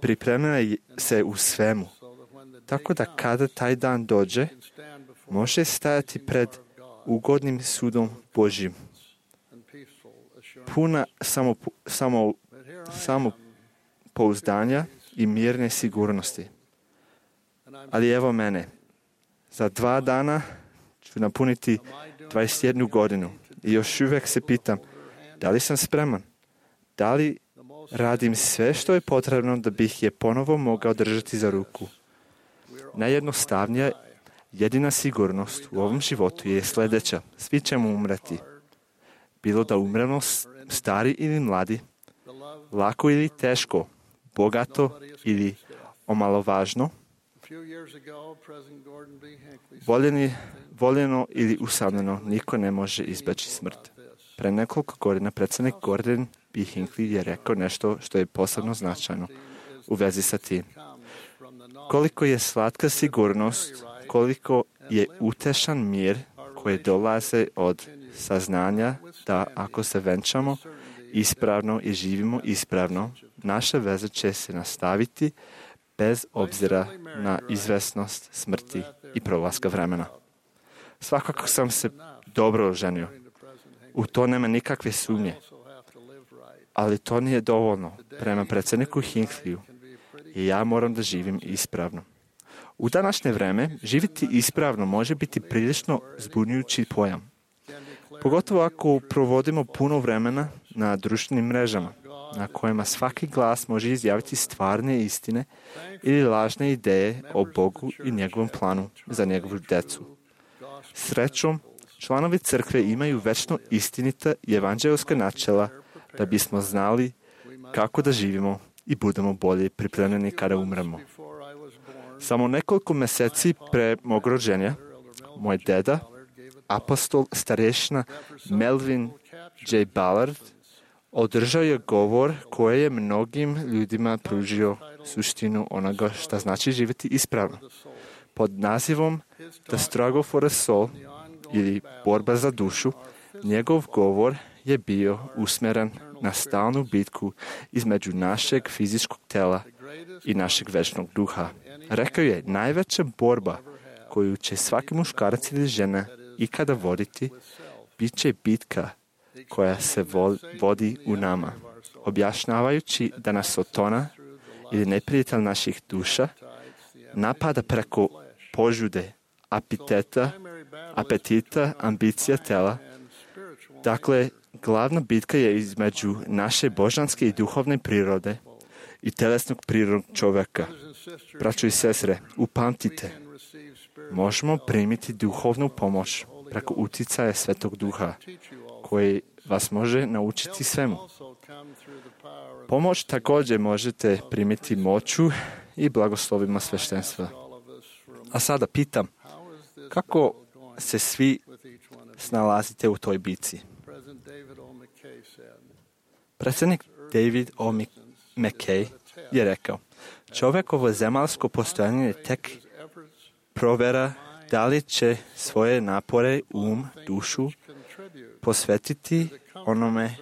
Pripremila se u svemu, tako da kada taj dan dođe, može stajati pred ugodnim sudom Božjim. Puna samopouzdanja i mirne sigurnosti. Ali evo mene. Za 2 dana ću napuniti 21 godinu i još uvijek se pitam da li sam spreman, da li radim sve što je potrebno da bih je ponovo mogao držati za ruku. Najjednostavnija, jedina sigurnost u ovom životu je sljedeća. Svi ćemo umreti. Bilo da umremo stari ili mladi, lako ili teško, bogato ili omalovažno, voljeno ili usamljeno, niko ne može izbeći smrt. Pre nekoliko godina predsjednik Gordon B. Hinckley je rekao nešto što je posebno značajno u vezi sa tim. Koliko je slatka sigurnost, koliko je utešan mir koji dolaze od saznanja da ako se venčamo ispravno i živimo ispravno, naša veza će se nastaviti bez obzira na izvesnost smrti i prolaska vremena. Svakako sam se dobro oženio. U to nema nikakve sumnje. Ali to nije dovoljno. Prema predsjedniku Hinckley i ja moram da živim ispravno. U današnje vreme živjeti ispravno može biti prilično zbunjujući pojam. Pogotovo ako provodimo puno vremena na društvenim mrežama, na kojima svaki glas može izjaviti stvarne istine ili lažne ideje o Bogu i njegovom planu za njegovu djecu. Srećom, članovi crkve imaju večno istinita i evanđelska načela da bismo znali kako da živimo i budemo bolje pripremljeni kada umremo. Samo nekoliko mjeseci pre mog rođenja, moj deda apostol starešina Melvin J. Ballard održao je govor koji je mnogim ljudima pružio suštinu onoga što znači živjeti ispravno. Pod nazivom The Struggle for a Soul ili borba za dušu, njegov govor je bio usmjeren na stalnu bitku između našeg fizičkog tela i našeg večnog duha. Rekao je, najveća borba koju će svaki muškarac ili žena ikada voditi, bit će bitka koja se vodi u nama, objašnjavajući da nas Sotona ili neprijatelj naših duša napada preko požude, apetita, ambicija tela. Dakle, glavna bitka je između naše božanske i duhovne prirode i telesnog prirodnog čovjeka. Braćo i sestre, upamtite, možemo primiti duhovnu pomoć preko utjecaja Svetog Duha, koji vas može naučiti svemu. Pomoć također možete primiti moću i blagoslovima sveštenstva. A sada pitam, kako se svi snalazite u toj bitci? Predsjednik David O. McKay je rekao, čovjekovo zemaljsko postojanje je tek provjera da li će svoje napore, dušu posvetiti onome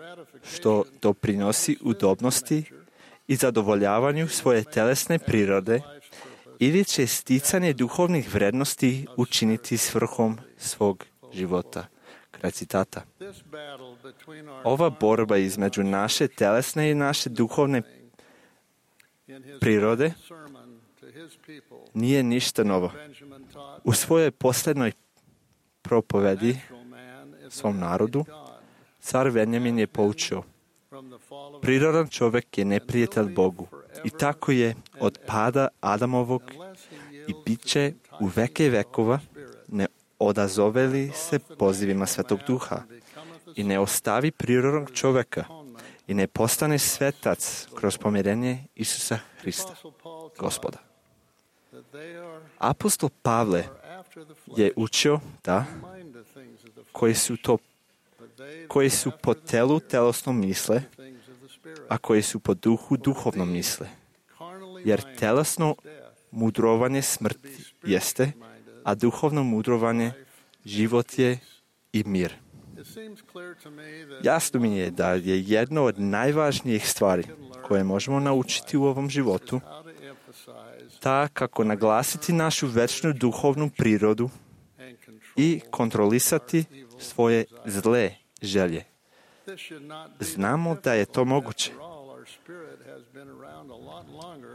što doprinosi udobnosti i zadovoljavanju svoje telesne prirode ili će sticanje duhovnih vrednosti učiniti svrhom svog života. Kraj citata. Ova borba između naše telesne i naše duhovne prirode nije ništa novo. U svojoj posljednoj propovedi svom narodu, car Benjamin je poučio, prirodan čovjek je neprijatelj Bogu i tako je od pada Adamovog i bit će u veke vekova ne odazoveli se pozivima Svetog Duha i ne ostavi prirodnog čovjeka i ne postane svetac kroz pomirenje Isusa Hrista, Gospoda. Apostol Pavle je učio da koji su po telu telesno misle, a koji su po duhu duhovno misle. Jer telesno mudrovanje smrt jeste, a duhovno mudrovanje život je i mir. Jasno mi je da je jedno od najvažnijih stvari koje možemo naučiti u ovom životu ta kako naglasiti našu večnu duhovnu prirodu i kontrolisati svoje zle želje. Znamo da je to moguće.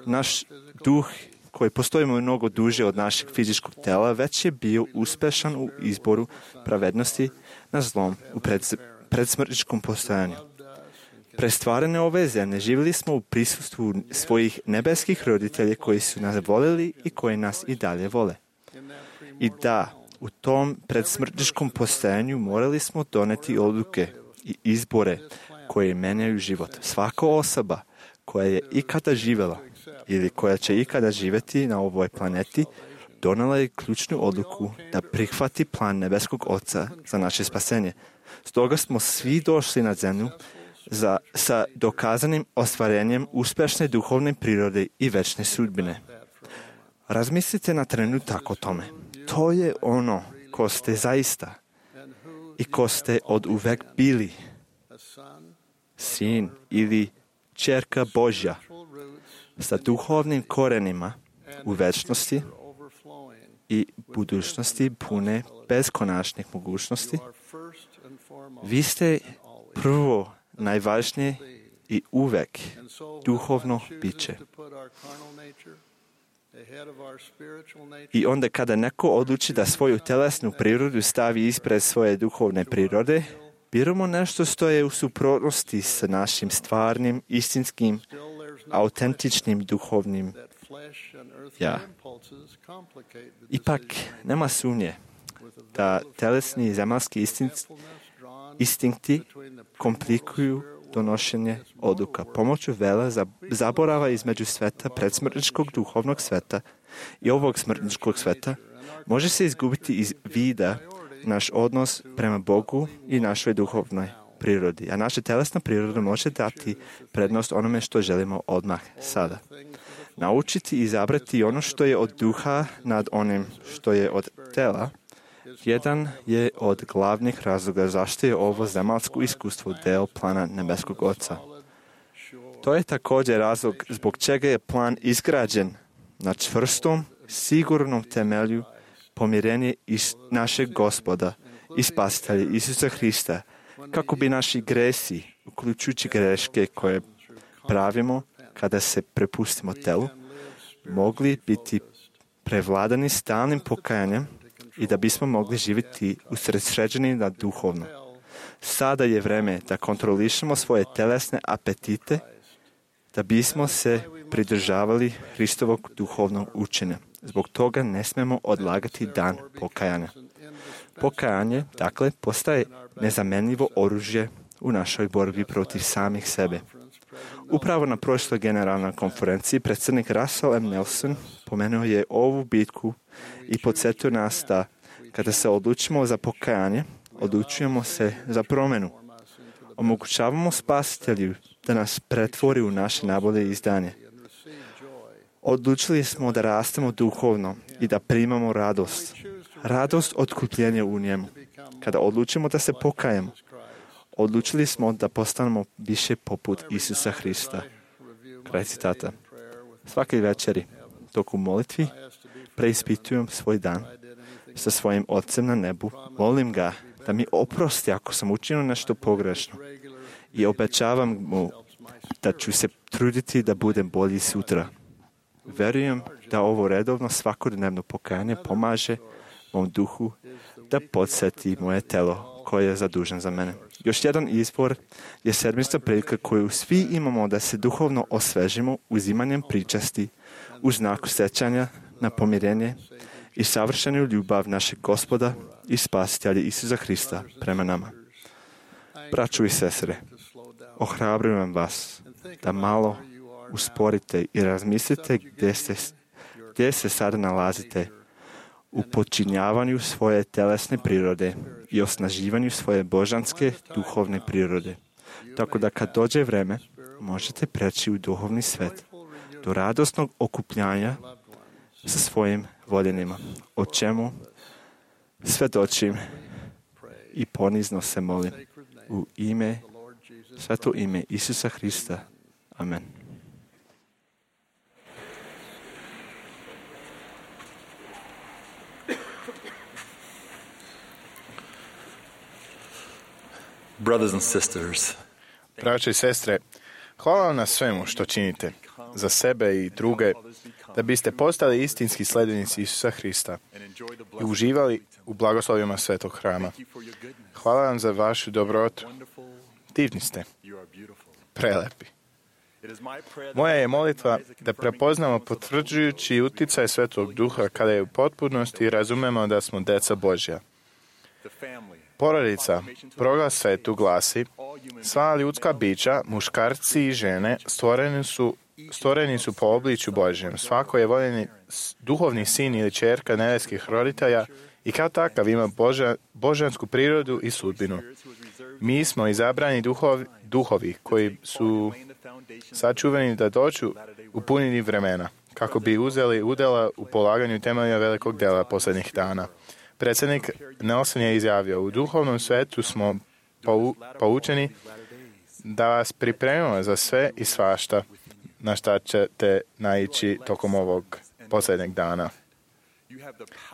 Naš duh koji postoji mnogo duže od našeg fizičkog tela, već je bio uspešan u izboru pravednosti na zlom u predsmrtničkom postojanju. Prestvarene ove zemlje živjeli smo u prisustvu svojih nebeskih roditelja koji su nas voljeli i koji nas i dalje vole. I da, u tom predsmrtničkom postojanju morali smo doneti odluke i izbore koje menjaju život. Svaka osoba koja je ikada živjela ili koja će ikada živjeti na ovoj planeti, donela je ključnu odluku da prihvati plan nebeskog Oca za naše spasenje. Stoga smo svi došli na zemlju sa dokazanim ostvarenjem uspješne duhovne prirode i večne sudbine. Razmislite na trenutak o tome. To je ono ko ste zaista i ko ste od uvek bili. Sin ili ćerka Božja sa duhovnim korenima u večnosti i budućnosti pune beskonačnih mogućnosti. Vi ste prvo, najvažnije i uvek duhovno biće. I onda kada neko odluči da svoju telesnu prirodu stavi ispred svoje duhovne prirode, biramo nešto što je u suprotnosti sa našim stvarnim, istinskim, autentičnim duhovnim ja. Ipak, nema sumnje da telesni i zemaljski instinkti komplikuju donošenje odluka. Pomoću vela zaborava između sveta predsmrtničkog duhovnog sveta i ovog smrtničkog sveta može se izgubiti iz vida naš odnos prema Bogu i našoj duhovnoj prirodi. A naša telesna priroda može dati prednost onome što želimo odmah sada. Naučiti i izabrati ono što je od duha nad onim što je od tela, jedan je od glavnih razloga zašto je ovo zemaljsko iskustvo deo plana nebeskog Oca. To je također razlog zbog čega je plan izgrađen na čvrstom, sigurnom temelju pomirenje našeg Gospoda i Spasitelja Isusa Hrista, kako bi naši gresi, uključujući greške koje pravimo kada se prepustimo telu, mogli biti prevladani stalnim pokajanjem i da bismo mogli živjeti usredsređeni na duhovno. Sada je vreme da kontrolišemo svoje telesne apetite, da bismo se pridržavali Hristovog duhovnog učenja. Zbog toga ne smemo odlagati dan pokajanja. Pokajanje, dakle, postaje nezamenljivo oružje u našoj borbi protiv samih sebe. Upravo na prošloj generalnoj konferenciji predsjednik Russell M. Nelson pomenuo je ovu bitku i podsjetio nas da kada se odlučimo za pokajanje, odlučujemo se za promjenu. Omogućavamo Spasitelju da nas pretvori u naše najbolje izdanje. Odlučili smo da rastemo duhovno i da primamo radost. Radost otkupljenja u njemu. Kada odlučimo da se pokajemo, odlučili smo da postanemo više poput Isusa Hrista. Kraj citata. Svake večeri, dok u molitvi preispitujem svoj dan sa svojim Ocem na nebu, molim ga da mi oprosti ako sam učinio nešto pogrešno i obećavam mu da ću se truditi da budem bolji sutra. Verujem da ovo redovno svakodnevno pokajanje pomaže mom duhu da podsjeti moje telo koje je zadužen za mene. Još jedan izvor je sedmična prilika koju svi imamo da se duhovno osvežimo uzimanjem pričasti u znaku sećanja na pomirenje i savršenu ljubav našeg Gospoda i Spasitelja Isusa Hrista prema nama. Braćo i sestre, ohrabrujem vas da malo usporite i razmislite gdje se sada nalazite u počinjavanju svoje telesne prirode i osnaživanju svoje božanske duhovne prirode. Tako da kad dođe vreme, možete preći u duhovni svet, do radosnog okupljanja sa svojim voljenima, o čemu svedočim i ponizno se molim u sveto ime Isusa Hrista. Amen. Brothers and sisters, Braće i sestre, hvala vam na svemu što činite za sebe i druge, da biste postali istinski sledbenici Isusa Hrista i uživali u blagoslovima svetog hrama. Hvala vam za vašu dobrotu. Divni ste, prelepi. Moja je molitva da prepoznamo potvrđujući uticaj Svetog Duha kada je u potpunosti razumemo da smo deca Božja. Porodica, proglas svetu glasi: sva ljudska bića, muškarci i žene, stvoreni su po obličju Božjem. Svako je voljeni duhovni sin ili ćerka nebeskih roditelja i kao takav ima božansku prirodu i sudbinu. Mi smo izabrani duhovi koji su sačuvani da dođu u punini vremena, kako bi uzeli udjela u polaganju temelja velikog dela posljednjih dana. Predsjednik Nelson je izjavio: u duhovnom svetu smo poučeni da vas pripremimo za sve i svašta na šta ćete naići tokom ovog posljednjeg dana.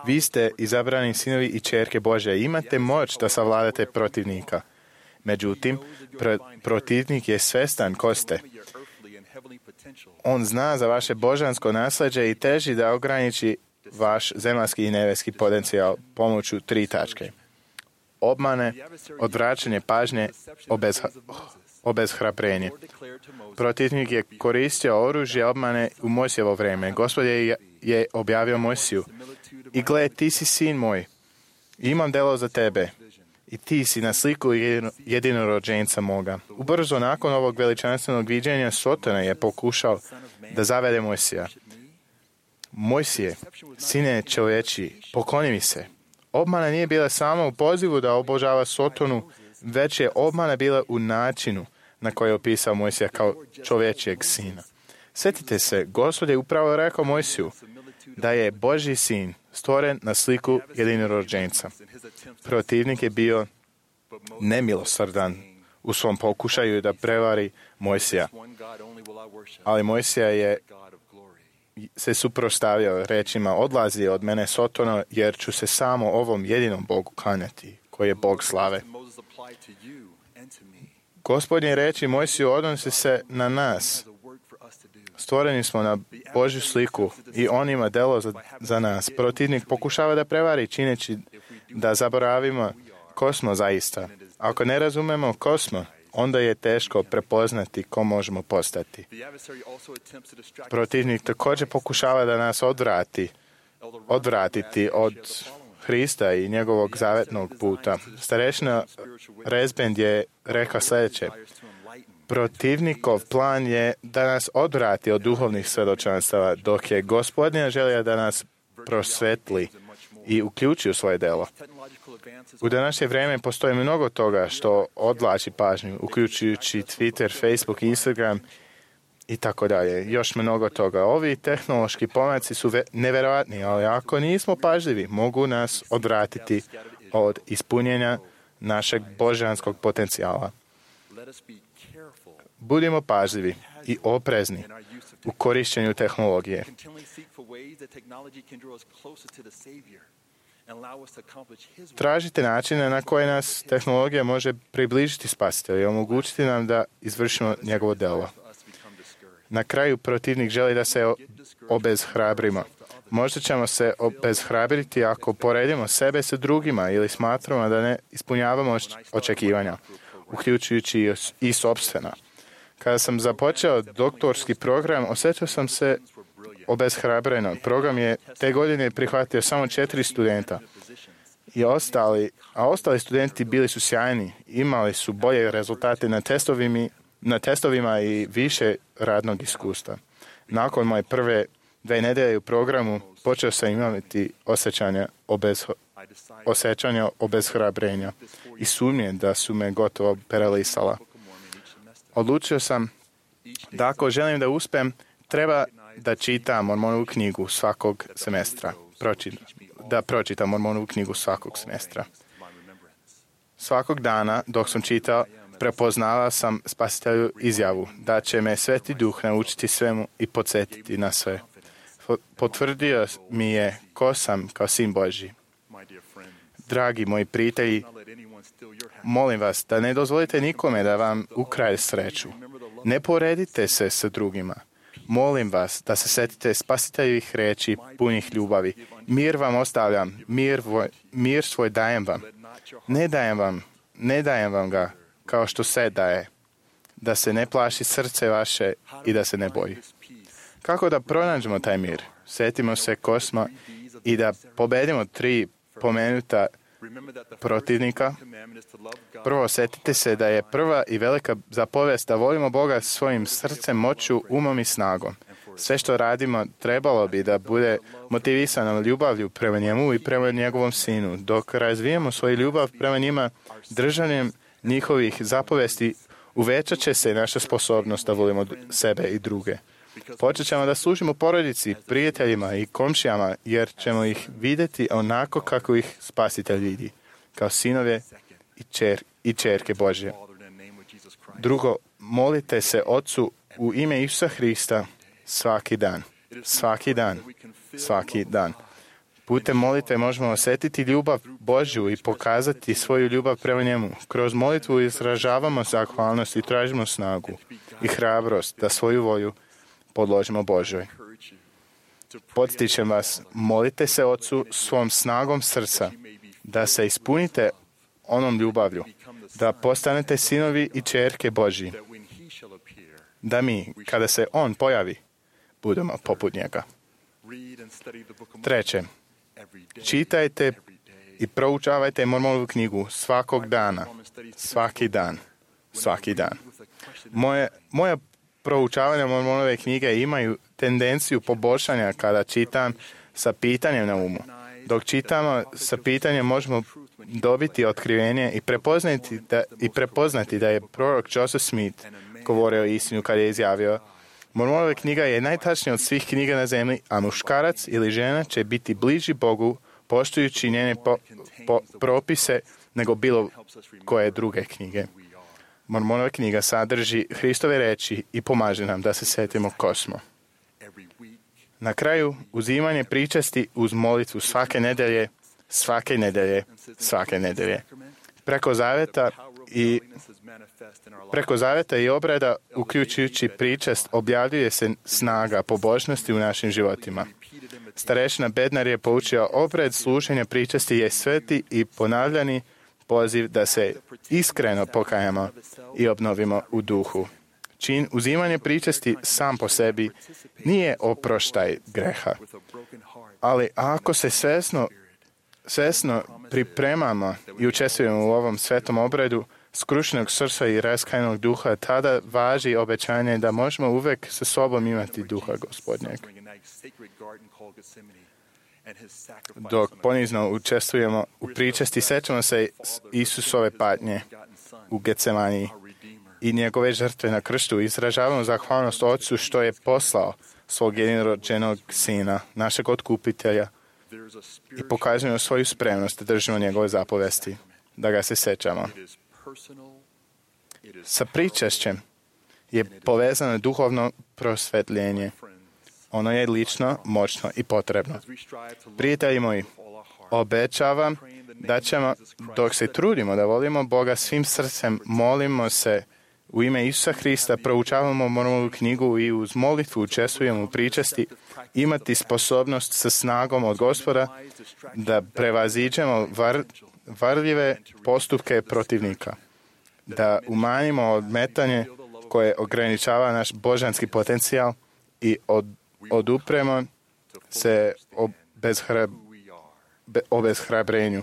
Vi ste izabrani sinovi i ćerke Božje i imate moć da savladate protivnika. Međutim, protivnik je svestan ko ste. On zna za vaše božansko nasljeđe i teži da ograniči vaš zemaljski i nebeski potencijal pomoću 3 tačke: obmane, odvraćanje pažnje, obeshrabrenje. Protivnik je koristio oružje obmane u Mojsijevo vrijeme. Gospod je objavio Mojsiju: i gle, ti si sin moj, imam delo za tebe i ti si na sliku jedinorođenca moga. Ubrzo nakon ovog veličanstvenog viđenja Sotona je pokušao da zavede Mojsija. Mojsije, sine čovječi, pokloni mi se. obmana nije bila samo u pozivu da obožava Sotonu, već je obmana bila u načinu na koji je opisao Mojsija kao čovječijeg sina. Sjetite se, Gospod je upravo rekao Mojsiju da je Božji sin stvoren na sliku jedinorođenca. Protivnik je bio nemilosrdan u svom pokušaju da prevari Mojsija. Ali Mojsija je se suprotstavio rečima: odlazi od mene Sotono, jer ću se samo ovom jedinom Bogu klanjati, koji je Bog slave. Gospodnje reči Mojsiju odnose se na nas. Stvoreni smo na Božju sliku i On ima delo za nas. Protivnik pokušava da prevari čineći da zaboravimo ko smo zaista. Ako ne razumemo ko smo, onda je teško prepoznati ko možemo postati. Protivnik također pokušava da nas odvratiti od Hrista i njegovog zavetnog puta. Starešina Rezbend je rekao sljedeće: protivnikov plan je da nas odvrati od duhovnih svjedočanstava, dok je Gospodnja želja da nas prosvetli i uključi u svoje delo. U današnje vrijeme postoji mnogo toga što odvlači pažnju, uključujući Twitter, Facebook, Instagram i tako dalje. Još mnogo toga. Ovi tehnološki pomaci su nevjerojatni, ali ako nismo pažljivi, mogu nas odvratiti od ispunjenja našeg božanskog potencijala. Budimo pažljivi i oprezni u korištenju tehnologije. Tražite načine na koje nas tehnologija može približiti Spasitelju i omogućiti nam da izvršimo njegovo delo. Na kraju protivnik želi da se obeshrabrimo. Možda ćemo se obeshrabriti ako poredimo sebe sa drugima ili smatramo da ne ispunjavamo očekivanja, uključujući i sopstvena. Kada sam započeo doktorski program, osjetio sam se obeshrabreno. Program je te godine prihvatio samo 4 studenta. Ostali studenti bili su sjajni, imali su bolje rezultate na testovima i više radnog iskustva. Nakon moje prve 2 nedelje u programu počeo sam imati osjećanja obeshrabrenja i sumnje da su me gotovo paralisala. Odlučio sam da ako želim da uspem, treba da čitam Mormonovu knjigu svakog semestra. Pročitam Mormonovu knjigu svakog semestra. Svakog dana, dok sam čitao, prepoznala sam Spasitelju izjavu da će me Sveti Duh naučiti svemu i podsjetiti na sve. Potvrdio mi je ko sam kao sin Božji. Dragi moji prijatelji, molim vas da ne dozvolite nikome da vam ukrade sreću. Ne poredite se sa drugima. Molim vas da se setite Spasiteljevih riječi punih ljubavi. Mir vam ostavljam, mir svoj dajem vam. Ne dajem vam ga kao što se daje. Da se ne plaši srce vaše i da se ne boji. Kako da pronađemo taj mir? Sjetimo se ko smo i da pobedimo 3 pomenuta protivnika. Prvo, sjetite se da je prva i velika zapovijest da volimo Boga svojim srcem, moću, umom i snagom. Sve što radimo trebalo bi da bude motivisano ljubavlju prema njemu i prema njegovom sinu. Dok razvijemo svoju ljubav prema njima, držanjem njihovih zapovesti, uvećat će se naša sposobnost da volimo sebe i druge. Počet ćemo da služimo porodici, prijateljima i komšijama, jer ćemo ih vidjeti onako kako ih Spasitelj vidi, kao sinove i čerke Božje. Drugo, molite se Otcu u ime Isusa Hrista svaki dan. Svaki dan. Svaki dan. Putem molitve možemo osjetiti ljubav Božju i pokazati svoju ljubav prema njemu. Kroz molitvu izražavamo zahvalnost i tražimo snagu i hrabrost da svoju volju podložimo Božoj. Podsjećam vas, molite se Otcu svom snagom srca da se ispunite onom ljubavlju, da postanete sinovi i čerke Božji, da mi, kada se On pojavi, budemo poput njega. Treće, čitajte i proučavajte Mormonovu knjigu svakog dana, svaki dan, svaki dan. Moja proučavanja Mormonove knjige imaju tendenciju poboljšanja kada čitam sa pitanjem na umu. Dok čitamo sa pitanjem možemo dobiti otkrivenje i prepoznati da je prorok Joseph Smith govorio istinu kad je izjavio: Mormonova knjiga je najtačnija od svih knjiga na zemlji, a muškarac ili žena će biti bliži Bogu poštujući njene propise nego bilo koje druge knjige. Mormonova knjiga sadrži Hristove reči i pomaže nam da se setimo ko smo. Na kraju, uzimanje pričasti uz molitvu svake nedelje. Preko zaveta i obreda, uključujući pričast, objavljuje se snaga pobožnosti u našim životima. Starešina Bednar je poučio obred služenja pričasti je sveti i ponavljani poziv da se iskreno pokajamo i obnovimo u duhu. Čin uzimanja pričasti sam po sebi nije oproštaj greha, ali ako se svesno pripremamo i učestvujemo u ovom svetom obredu skrušenog srca i raskajnog duha, tada važi obećanje da možemo uvek sa sobom imati duha Gospodnjeg. Dok ponizno učestvujemo u pričasti, sećamo se Isusove patnje u Getsemaniji i njegove žrtve na krstu. Izražavamo zahvalnost Otcu što je poslao svog jedinorođenog Sina, našeg otkupitelja, i pokazujemo svoju spremnost da držimo njegove zapovesti, da ga se sećamo. Sa pričašćem je povezano duhovno prosvetljenje. Ono je lično, moćno i potrebno. Prijatelji moji, obećavam da ćemo, dok se trudimo da volimo Boga svim srcem, molimo se u ime Isusa Hrista, proučavamo Mormonovu knjigu i uz molitvu učestvujemo u pričasti, imati sposobnost sa snagom od Gospoda da prevaziđemo varljive postupke protivnika, da umanjimo odmetanje koje ograničava naš božanski potencijal i odupremo se obeshrabrenju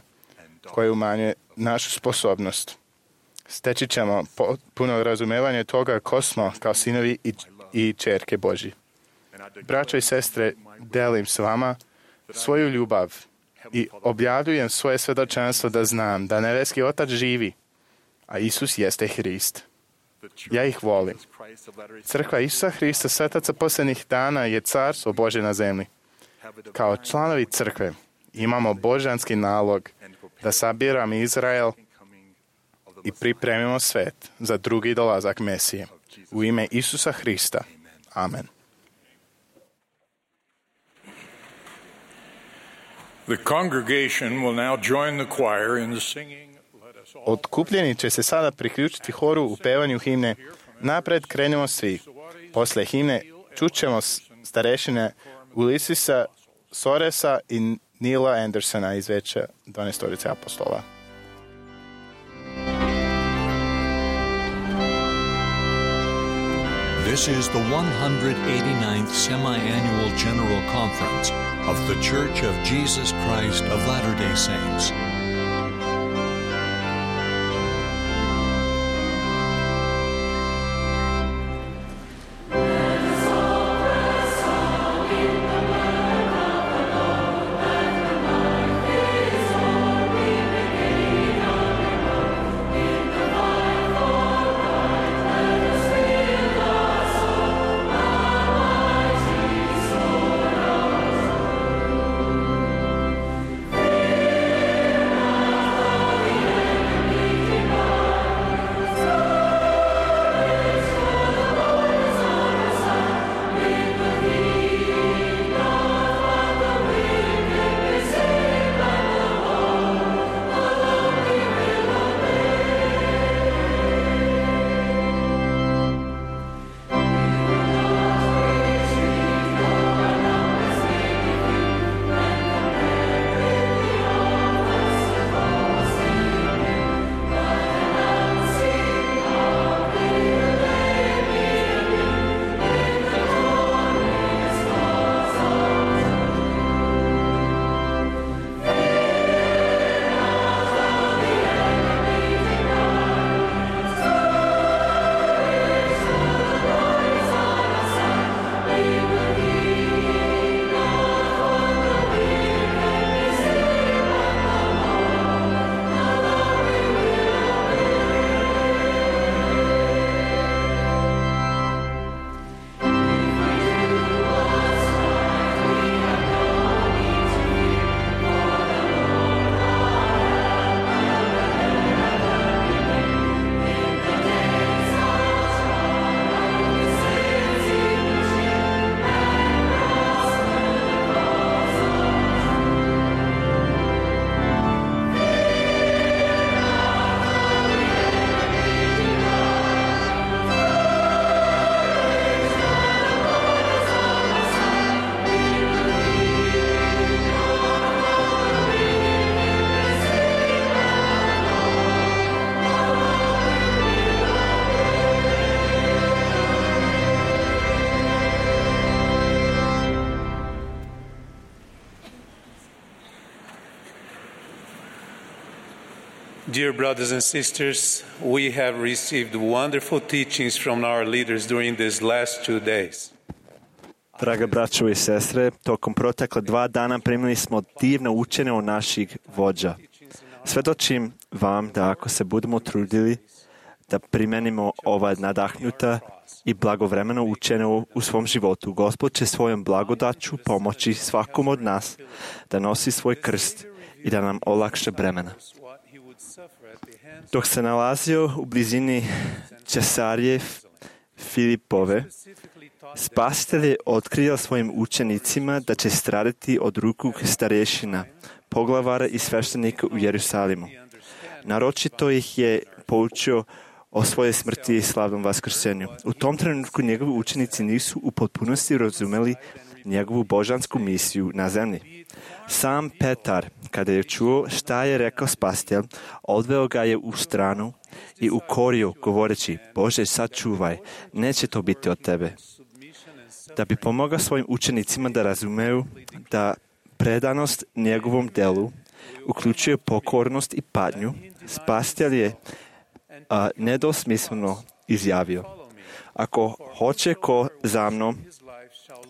koje umanjuje našu sposobnost. Steći ćemo puno razumevanje toga ko smo kao sinovi i ćerke Božji. Braćo i sestre, delim s vama svoju ljubav i objavljujem svoje svedočanstvo da znam da nebeski Otac živi, a Isus jeste Hrist. Ja ih volim. Crkva Isusa Hrista, svetaca posljednjih dana, je carstvo Božje na zemlji. Kao članovi crkve imamo božanski nalog da sabiramo Izrael i pripremimo svet za drugi dolazak Mesije. U ime Isusa Hrista. Amen. The congregation will now join the choir in the singing. Otkupljeni će se sada priključiti horu u pevanju himne Napred krenemo svi. Posle himne čućemo starešine Ulisisa Soresa i Nila Andersona iz Veća 12 apostola. This is the 189th Semi-Annual General Conference of The Church of Jesus Christ of Latter-day Saints. Dear brothers and sisters, we have received wonderful teachings from our leaders during these last 2 days. Draga braćo i sestre, tokom protekla 2 dana primili smo divno učenje od naših vođa. Svedočim vam da ako se budemo trudili da primenimo ova nadahnuta i blagovremeno učenje u svom životu, Gospod će svojom blagodaću pomoći svakom od nas da nosi svoj krst i da nam olakša bremena. Dok se nalazio u blizini Cesarije Filipove, Spasitelj je otkrio svojim učenicima da će stradati od ruku starješina, poglavara i sveštenika u Jerusalimu. Naročito ih je poučio o svojoj smrti i slavnom vaskrsenju. U tom trenutku njegovi učenici nisu u potpunosti razumeli njegovu božansku misiju na zemlji. Sam Petar, kada je čuo šta je rekao Spasitelj, odveo ga je u stranu i ukorio, govoreći: Bože, sačuvaj, neće to biti od tebe. Da bi pomogao svojim učenicima da razumeju da predanost njegovom delu uključuje pokornost i patnju, Spasitelj je nedosmisleno izjavio: Ako hoće ko za mnom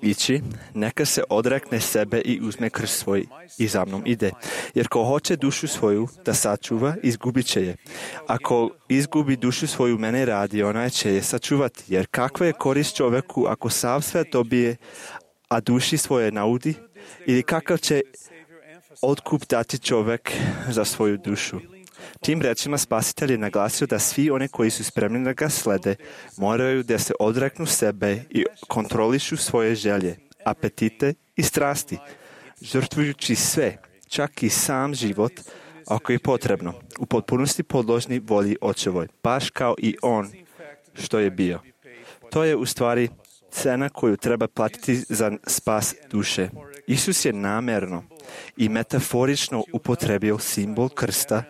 ići, neka se odrekne sebe i uzme krst svoj i za mnom ide. Jer ko hoće dušu svoju da sačuva, izgubit će je. Ako izgubi dušu svoju mene radi, ona će je sačuvati. Jer kakva je korist čovjeku ako sav sve dobije, a duši svoje naudi? Ili kakav će otkup dati čovjek za svoju dušu? Tim rečima Spasitelj je naglasio da svi oni koji su spremni da ga slede moraju da se odreknu sebe i kontrolišu svoje želje, apetite i strasti, žrtvujući sve, čak i sam život, ako je potrebno, u potpunosti podložni volji Očevoj, baš kao i on što je bio. To je u stvari cena koju treba platiti za spas duše. Isus je namjerno i metaforično upotrebio simbol krsta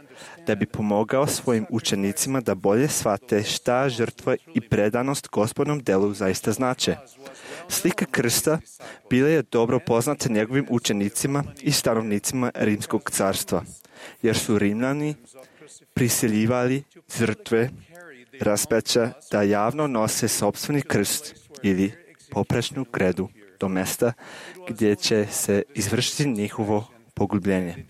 da bi pomogao svojim učenicima da bolje shvate šta žrtva i predanost Gospodnom delu zaista znače. Slika krsta bila je dobro poznata njegovim učenicima i stanovnicima Rimskog carstva, jer su Rimljani prisiljivali žrtve raspeća da javno nose sopstveni krst ili poprečnu kredu do mesta gdje će se izvršiti njihovo pogubljenje.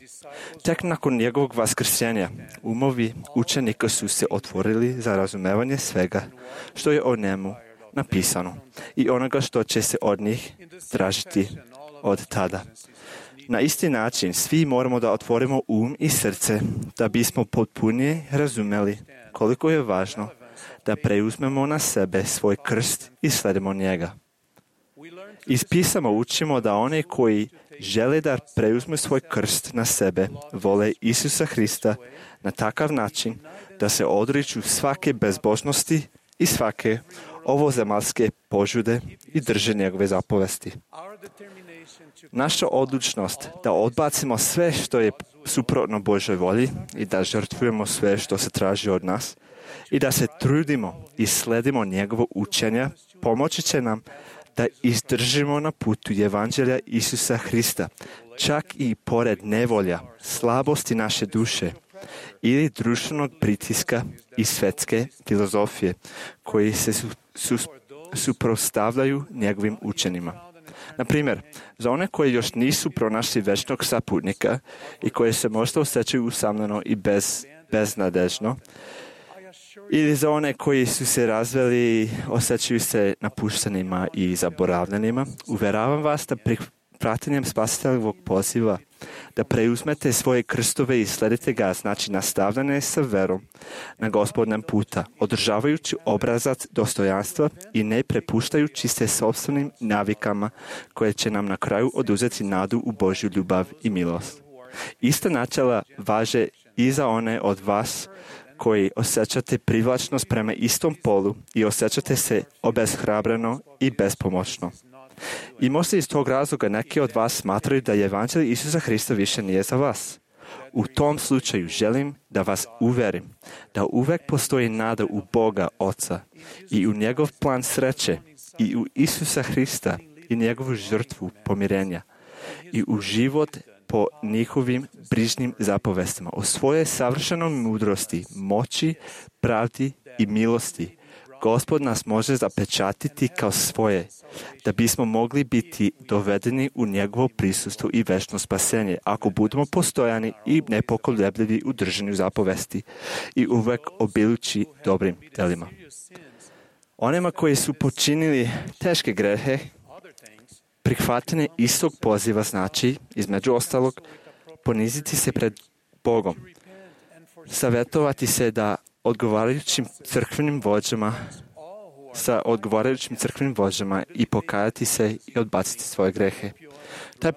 Tek nakon njegovog vaskrsenja umovi učenika su se otvorili za razumevanje svega što je o njemu napisano i onoga što će se od njih tražiti od tada. Na isti način svi moramo da otvorimo i srce da bismo potpunije razumeli koliko je važno da preuzmemo na sebe svoj krst i sledimo njega. Iz pisama učimo da one koji žele da preuzmu svoj krst na sebe vole Isusa Hrista na takav način da se odriču svake bezbožnosti i svake ovozemaljske požude i drže njegove zapovesti. Naša odlučnost da odbacimo sve što je suprotno Božoj volji i da žrtvujemo sve što se traži od nas i da se trudimo i sledimo njegovo učenja, pomoći će nam da izdržimo na putu Evanđelja Isusa Hrista, čak i pored nevolja, slabosti naše duše ili društvenog pritiska i svetske filozofije koji se suprotstavljaju njegovim učenjima. Na primjer, za one koji još nisu pronašli večnog saputnika i koji se možda osjećaju usamljeno i beznadežno, ili za one koji su se razveli, osjećaju se napuštenima i zaboravljenima, uveravam vas da praćenjem Spasiteljevog poziva da preuzmete svoje krstove i sledite ga, znači nastavljanje sa verom na Gospodnjem puta, održavajući obrazac dostojanstva i ne prepuštajući se sopstvenim navikama koje će nam na kraju oduzeti nadu u Božju ljubav i milost. Ista načela važe i za one od vas koji osjećate privlačnost prema istom polu i osjećate se obeshrabreno i bespomoćno. I možda iz tog razloga neki od vas smatraju da je Evanđelje Isusa Hrista više nije za vas. U tom slučaju želim da vas uverim da uvek postoji nada u Boga Oca i u njegov plan sreće i u Isusa Hrista i njegovu žrtvu pomirenja i u život po njihovim brižnim zapovestima. U svojoj savršenoj mudrosti, moći, pravdi i milosti, Gospod nas može zapečatiti kao svoje, da bismo mogli biti dovedeni u njegovo prisustvo i večno spasenje, ako budemo postojani i nepokolebljivi u držanju zapovesti i uvek obilujući dobrim delima. Onima koji su počinili teške grehe, prihvatanje istog poziva znači, između ostalog, poniziti se pred Bogom, savjetovati se da sa odgovarajućim crkvenim vođama i pokajati se i odbaciti svoje grehe. Taj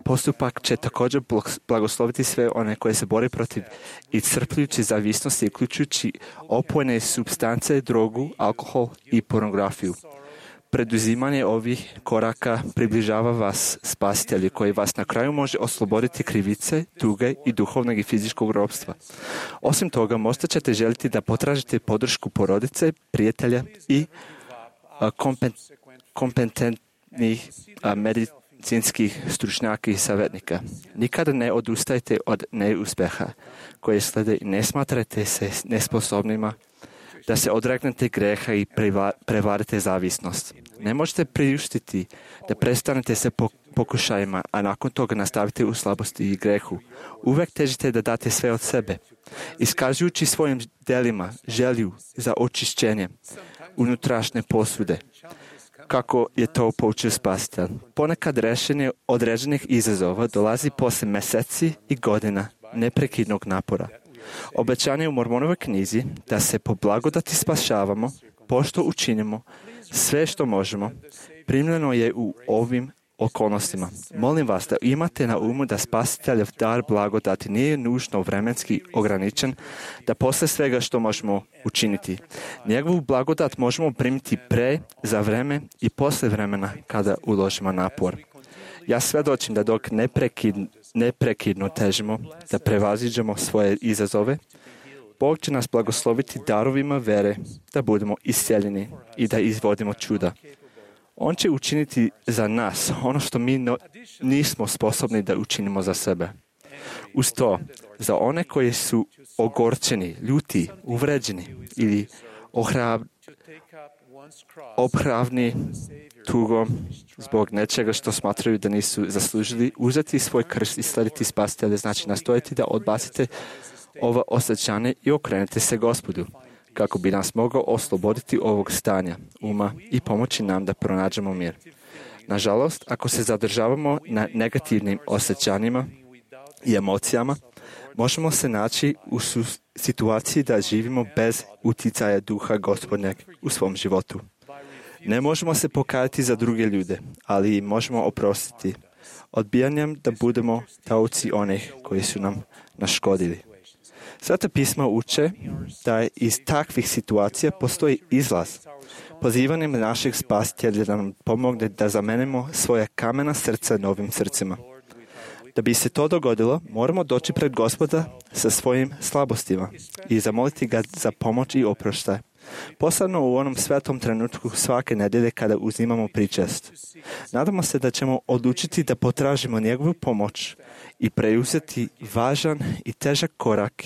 postupak će također blagosloviti sve one koje se bore protiv iscrpljujuće zavisnosti, uključujući opojne supstance, drogu, alkohol i pornografiju. Preduzimanje ovih koraka približava vas spasitelju koji vas na kraju može osloboditi krivice, tuge i duhovnog i fizičkog ropstva. Osim toga, možda ćete želiti da potražite podršku porodice, prijatelja i kompetentnih medicinskih stručnjaka i savjetnika. Nikada ne odustajte od neuspeha koje slede i ne smatrate se nesposobnima da se odregnete greha i prevarite zavisnost. Ne možete priuštiti da prestanete se pokušajima, a nakon toga nastavite u slabosti i grehu. Uvek težite da date sve od sebe, iskazujući svojim delima želju za očišćenje unutrašnje posude, kako je to poučio Spasitelj. Ponekad rešenje određenih izazova dolazi posle meseci i godina neprekidnog napora. Obećanje u Mormonovoj knjizi da se po blagodati spašavamo, pošto učinimo sve što možemo, primljeno je u ovim okolnostima. Molim vas da imate na umu da Spasiteljev dar blagodati nije nužno vremenski ograničen, da posle svega što možemo učiniti. Njegovu blagodat možemo primiti pre, za vreme i posle vremena kada uložimo napor. Ja svedočim da dok neprekidno težimo da prevaziđemo svoje izazove, Bog će nas blagosloviti darovima vere da budemo iscijeljeni i da izvodimo čuda. On će učiniti za nas ono što mi nismo sposobni da učinimo za sebe. Uz to, za one koji su ogorčeni, ljuti, uvređeni ili obhravni tugom zbog nečega što smatraju da nisu zaslužili, uzeti svoj krst i slediti Spasitelja, znači nastojati da odbacite ova osjećanja i okrenete se Gospodu, kako bi nas mogao osloboditi ovog stanja uma i pomoći nam da pronađemo mir. Nažalost, ako se zadržavamo na negativnim osjećanjima i emocijama, možemo se naći u situaciji da živimo bez uticaja duha Gospodnjeg u svom životu. Ne možemo se pokajati za druge ljude, ali možemo oprostiti odbijanjem da budemo taoci onih koji su nam naškodili. Sveta pisma uče da iz takvih situacija postoji izlaz. Pozivanjem našeg Spasitelja da nam pomogne da zamenimo svoje kamena srca novim srcima. Da bi se to dogodilo, moramo doći pred Gospoda sa svojim slabostima i zamoliti ga za pomoć i oproštaj. Posebno u onom svetom trenutku svake nedelje kada uzimamo pričest. Nadamo se da ćemo odlučiti da potražimo njegovu pomoć i preuzeti važan i težak korak,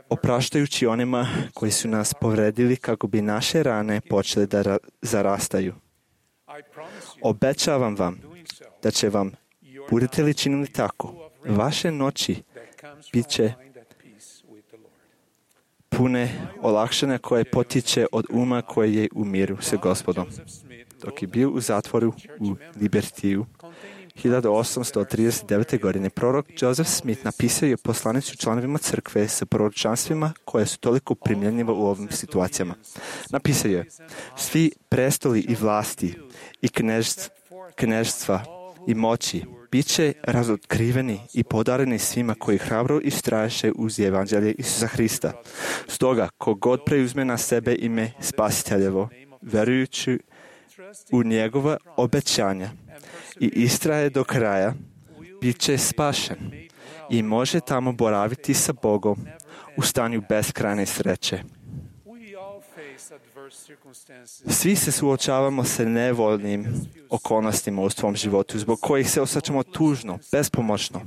opraštajući onima koji su nas povredili kako bi naše rane počele da zarastaju. Obećavam vam da će vam, budete li činili tako, vaše noći bit će pune olakšanja koje potiče od uma koje je u miru sa Gospodom. Dok je bio u zatvoru u Libertiju, 1839. godine, prorok Joseph Smith napisao je poslanicu članovima crkve sa proročanstvima koje su toliko primjenjive u ovim situacijama. Napisao je: svi prestoli i vlasti i knežstva i moći bit će razotkriveni i podareni svima koji hrabro istraješe uz evanđelje Isusa Hrista. Stoga, kogod preuzme na sebe ime Spasiteljevo, verujući u njegova obećanja i istraje do kraja, bit će spašen i može tamo boraviti sa Bogom u stanju beskrajne sreće. Svi se suočavamo sa nevoljnim okolnostima u svom životu, zbog kojih se osjećamo tužno, bespomoćno,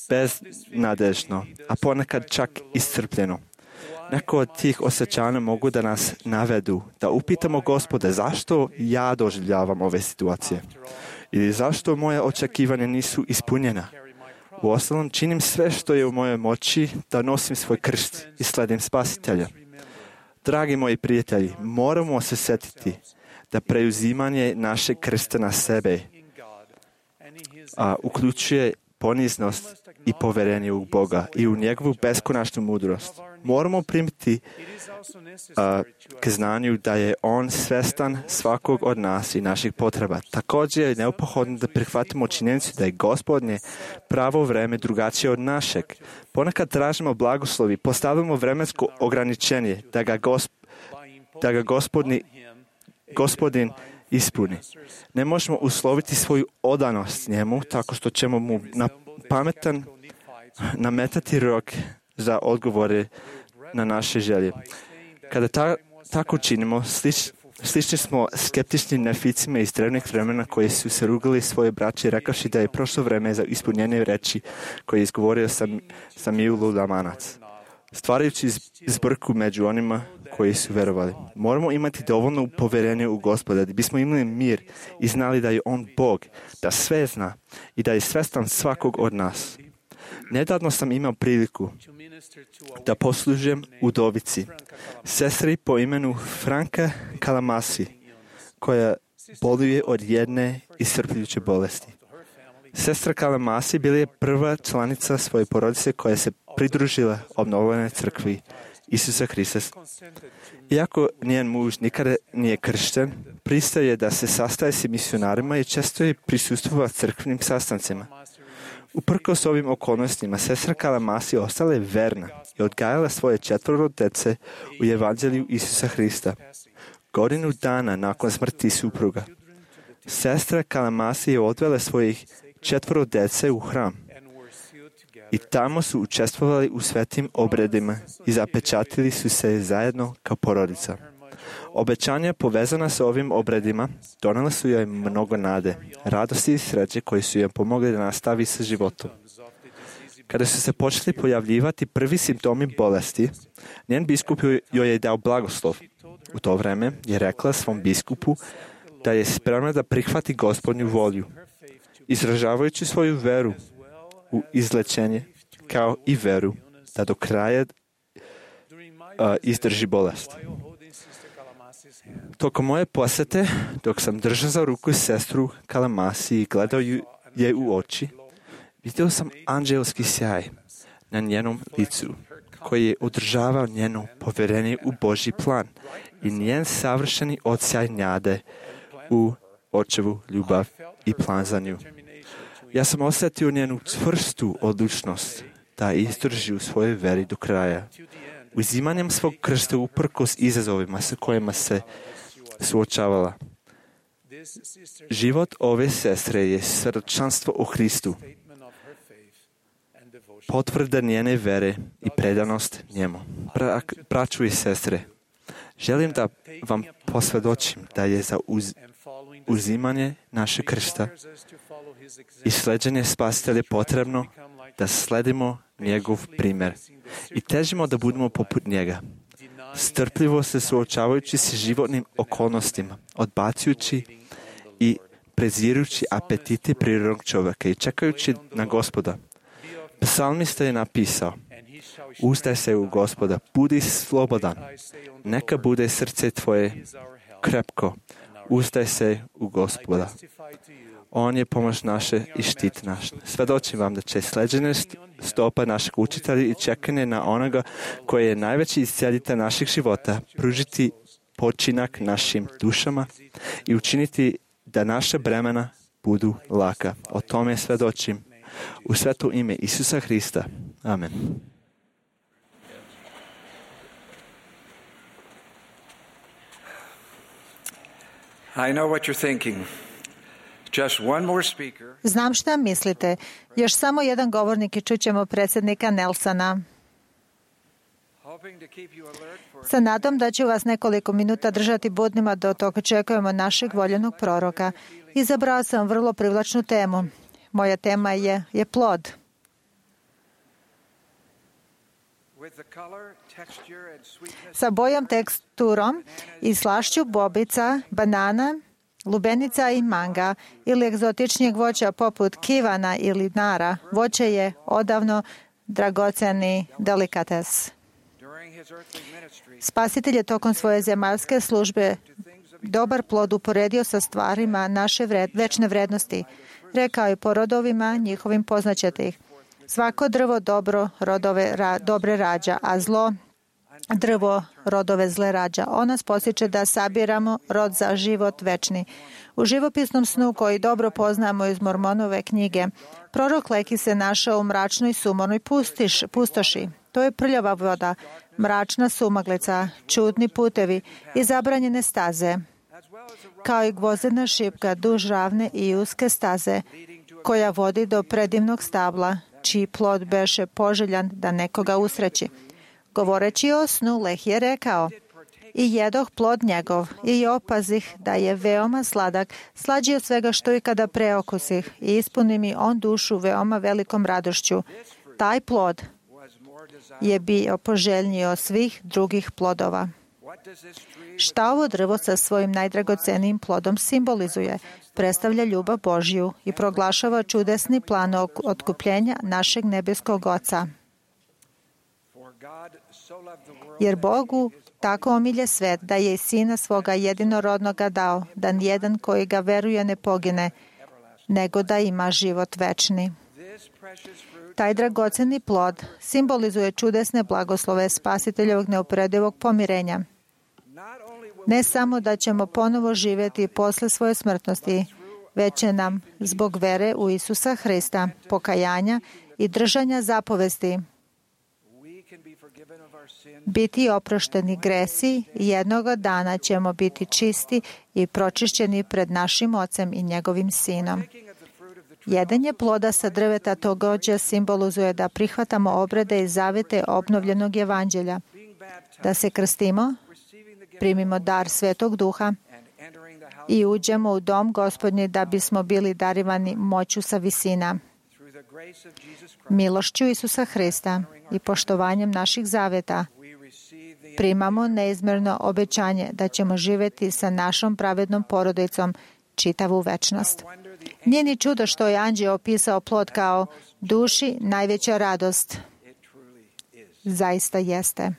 beznadežno, a ponekad čak iscrpljeno. Neko od tih osjećanja mogu da nas navedu, da upitamo Gospode, zašto ja doživljavam ove situacije? Ili zašto moje očekivanja nisu ispunjena? Uostalom, činim sve što je u mojoj moći da nosim svoj krst i sledim Spasitelja. Dragi moji prijatelji, moramo se sjetiti da preuzimanje našeg krsta na sebe uključuje poniznost i poverenje u Boga i u njegovu beskonačnu mudrost. Moramo primiti k znanju da je On svestan svakog od nas i naših potreba. Također je neophodno da prihvatimo činjenicu da je Gospodnje pravo vreme drugačije od našeg. Ponekad tražimo blagoslovi, postavimo vremensko ograničenje da ga Gospodin ispuni. Ne možemo usloviti svoju odanost njemu tako što ćemo mu na pametan nametati rok za odgovore na naše želje. Kada tako činimo, slični smo skeptičnim neficima iz drevnih vremena koji su se rugali svoje braće rekavši da je prošlo vreme za ispunjenje reči koje je izgovorio Samuel Lamanac, stvarajući zbrku među onima koji su verovali. Moramo imati dovoljno poverenje u Gospoda da bismo imali mir i znali da je On Bog, da sve zna i da je svestan svakog od nas. Nedavno sam imao priliku da poslužujem udovici, sestri po imenu Franka Kalamasi, koja boluje od jedne iscrpljujuće bolesti. Sestra Kalamasi bila je prva članica svoje porodice koja se pridružila obnovljenoj crkvi Isusa Hrista. Iako njen muž nikada nije kršten, pristaje je da se sastaje s misionarima i često je prisustvovao crkvenim sastancima. Uprkos ovim okolnostima, sestra Kalamasi ostala je verna i odgajala svoje 4 dece u evanđelju Isusa Hrista. Godinu dana nakon smrti supruga, sestra Kalamasi je odvela svojih 4 dece u hram i tamo su učestvovali u svetim obredima i zapečatili su se zajedno kao porodica. Obećanja povezana sa ovim obredima donela su joj mnogo nade, radosti i sreće koji su joj pomogli da nastavi sa životom. Kada su se počeli pojavljivati prvi simptomi bolesti, njen biskup joj je dao blagoslov. U to vreme je rekla svom biskupu da je spremna da prihvati Gospodnju volju, izražavajući svoju veru u izlečenje, kao i veru da do kraja izdrži bolest. Tokom moje posete, dok sam držao za ruku sestru Kalamasi i gledao je u oči, vidio sam anđelski sjaj na njenom licu, koji je održavao njeno povjerenje u Božji plan i njen savršeni odsjaj nade u Očevu ljubav i plan za nju. Ja sam osjetio njenu čvrstu odlučnost da izdrži u svojoj veri do kraja. Uzimanjem svog krsta uprkos izazovima sa kojima se suočavala. Život ove sestre je svjedočanstvo o Hristu, potvrda njene vere i predanost njemu. Braćo i sestre, želim da vam posvjedočim da je za uzimanje našeg krsta i sleđenje Spasitelja potrebno da sledimo njegov primjer i težimo da budemo poput njega. Strpljivo se suočavajući se životnim okolnostima, odbacujući i prezirujući apetite prirodnog čovjeka i čekajući na Gospoda. Psalmista je napisao: uzdaj se u Gospoda, budi slobodan, neka bude srce tvoje krepko, uzdaj se u Gospoda. On je pomoć naše i štit naš. Svedočim vam da će sleđenje stopa našeg učitelja i čekanje na onoga koji je najveći iscijelitelj naših života pružiti počinak našim dušama i učiniti da naša bremena budu laka. O tome svedočim u sveto ime Isusa Hrista. Amen. I know what you're thinking. Just one more speaker. Znam šta mislite. Još samo jedan govornik i čućemo predsjednika Nelsona. Sa nadom da će vas nekoliko minuta držati budnima dok očekujemo našeg voljenog proroka. Izabrao sam vrlo privlačnu temu. Moja tema je plod. Sa bojom, teksturom i slašću bobica, banana, lubenica i manga ili egzotičnijeg voća poput kivana ili nara, voće je odavno dragoceni delikates. Spasitelj je tokom svoje zemaljske službe dobar plod uporedio sa stvarima naše večne vrednosti. Rekao je po rodovima njihovim poznaćete ih. Svako drvo dobre rađa, a zlo drvo rodove zle rađa. On nas posjeća da sabiramo rod za život večni. U živopisnom snu koji dobro poznamo iz Mormonove knjige, prorok Leki se našao u mračnoj sumornoj pustoši. To je prljava voda, mračna sumaglica, čudni putevi i zabranjene staze, kao i gvozdena šipka duž ravne i uske staze, koja vodi do predivnog stabla, čiji plod beše poželjan da nekoga usreći. Govoreći o snu, Leh je rekao: i jedoh plod njegov, i opazih da je veoma sladak, slađi od svega što i kada preokusih, i ispuni mi on dušu veoma velikom radošću. Taj plod je bio poželjniji od svih drugih plodova. Šta ovo drvo sa svojim najdragocenijim plodom simbolizuje? Predstavlja ljubav Božju i proglašava čudesni plan otkupljenja našeg nebeskog Oca. Jer Bogu tako omilje svet da je i Sina svoga jedinorodnoga dao, da nijedan koji ga veruje ne pogine, nego da ima život večni. Taj dragoceni plod simbolizuje čudesne blagoslove Spasiteljevog neuporedivog pomirenja. Ne samo da ćemo ponovo živjeti posle svoje smrtnosti, već će nam zbog vere u Isusa Hrista, pokajanja i držanja zapovesti biti oprošteni gresi i jednoga dana ćemo biti čisti i pročišćeni pred našim Ocem i njegovim Sinom. Jedenje ploda sa drveta također simbolizuje da prihvatamo obrede i zavete obnovljenog evanđelja, da se krstimo, primimo dar Svetog Duha i uđemo u dom Gospodnji da bismo bili darivani moću sa visina. Milošću Isusa Hrista i poštovanjem naših zaveta primamo neizmjerno obećanje da ćemo živjeti sa našom pravednom porodicom čitavu večnost. Nije ni čudo što je anđeo opisao plod kao duši najveća radost. Zaista jeste.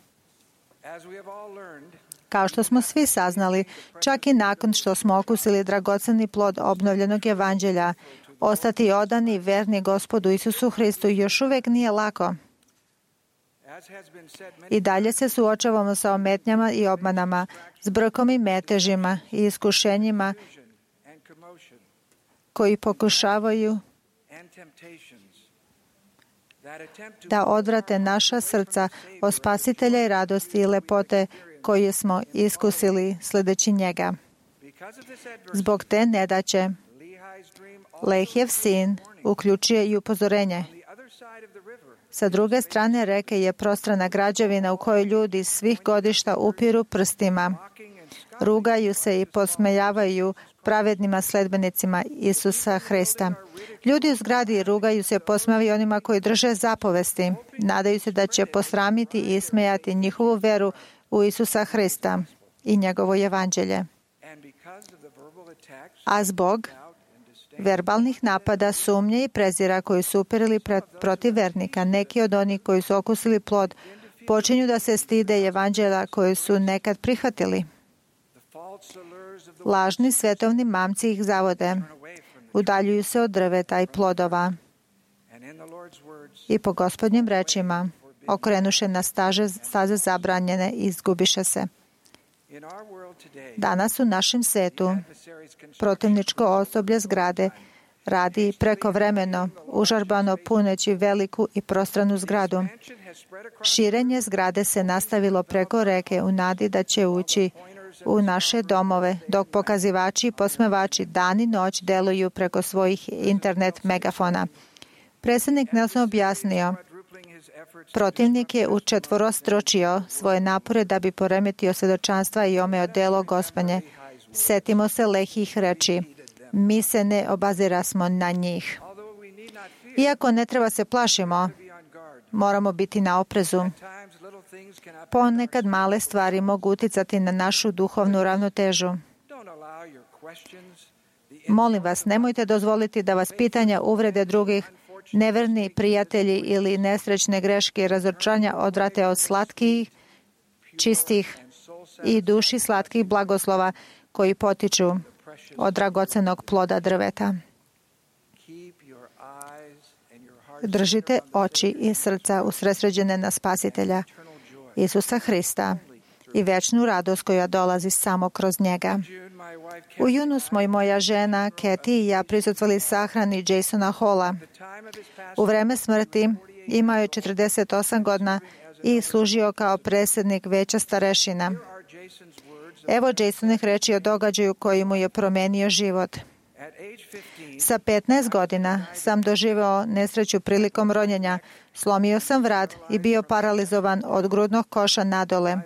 Kao što smo svi saznali, čak i nakon što smo okusili dragoceni plod obnovljenog evanđelja, ostati odani i verni Gospodu Isusu Hristu još uvijek nije lako. I dalje se suočavamo sa ometnjama i obmanama, zbrkom i metežima i iskušenjima koji pokušavaju da odvrate naša srca od Spasitelja i radosti i lepote koje smo iskusili sledeći njega. Zbog te nedaće, Lehjev sin uključuje i upozorenje. Sa druge strane reke je prostrana građevina u kojoj ljudi svih godišta upiru prstima, rugaju se i posmejavaju pravednima sledbenicima Isusa Hrista. Ljudi u zgradi rugaju se i posmejavaju onima koji drže zapovesti. Nadaju se da će posramiti i ismejati njihovu veru u Isusa Hrista i njegovo evanđelje. A zbog verbalnih napada, sumnje i prezira koji su upirili protiv vernika, neki od onih koji su okusili plod počinju da se stide evanđelja koje su nekad prihvatili. Lažni svetovni mamci ih zavode, udaljuju se od drveta i plodova i po Gospodnjim rečima okrenuše na staze zabranjene i izgubiše se. Danas u našem svetu protivničko osoblje zgrade radi prekovremeno, užarbano puneći veliku i prostranu zgradu. Širenje zgrade se nastavilo preko reke u nadi da će ući u naše domove, dok pokazivači i posmevači dan i noć deluju preko svojih internet megafona. Predsjednik Nelson objasnio Protivnik je učetvorostručio svoje napore da bi poremetio svjedočanstva i omeo delo Gospodnje. Setimo se lehih reči. Mi se ne obazirasmo na njih. Iako ne treba se plašimo, moramo biti na oprezu. Ponekad male stvari mogu uticati na našu duhovnu ravnotežu. Molim vas, nemojte dozvoliti da vas pitanja, uvrede drugih, neverni prijatelji ili nesrećne greške i razočaranja odvrate od slatkih, čistih i duši slatkih blagoslova koji potiču od dragocenog ploda drveta. Držite oči i srca usredsređene na Spasitelja, Isusa Hrista, i večnu radost koja dolazi samo kroz njega. U junu smo i moja žena, Kathy, i ja prisustvovali sahrani Jasona Halla. U vreme smrti imao je 48 godina i služio kao predsjednik veća starešina. Evo Jasonih reči o događaju koji mu je promenio život. Sa 15 godina sam doživeo nesreću prilikom ronjenja. Slomio sam vrat i bio paralizovan od grudnog koša nadole.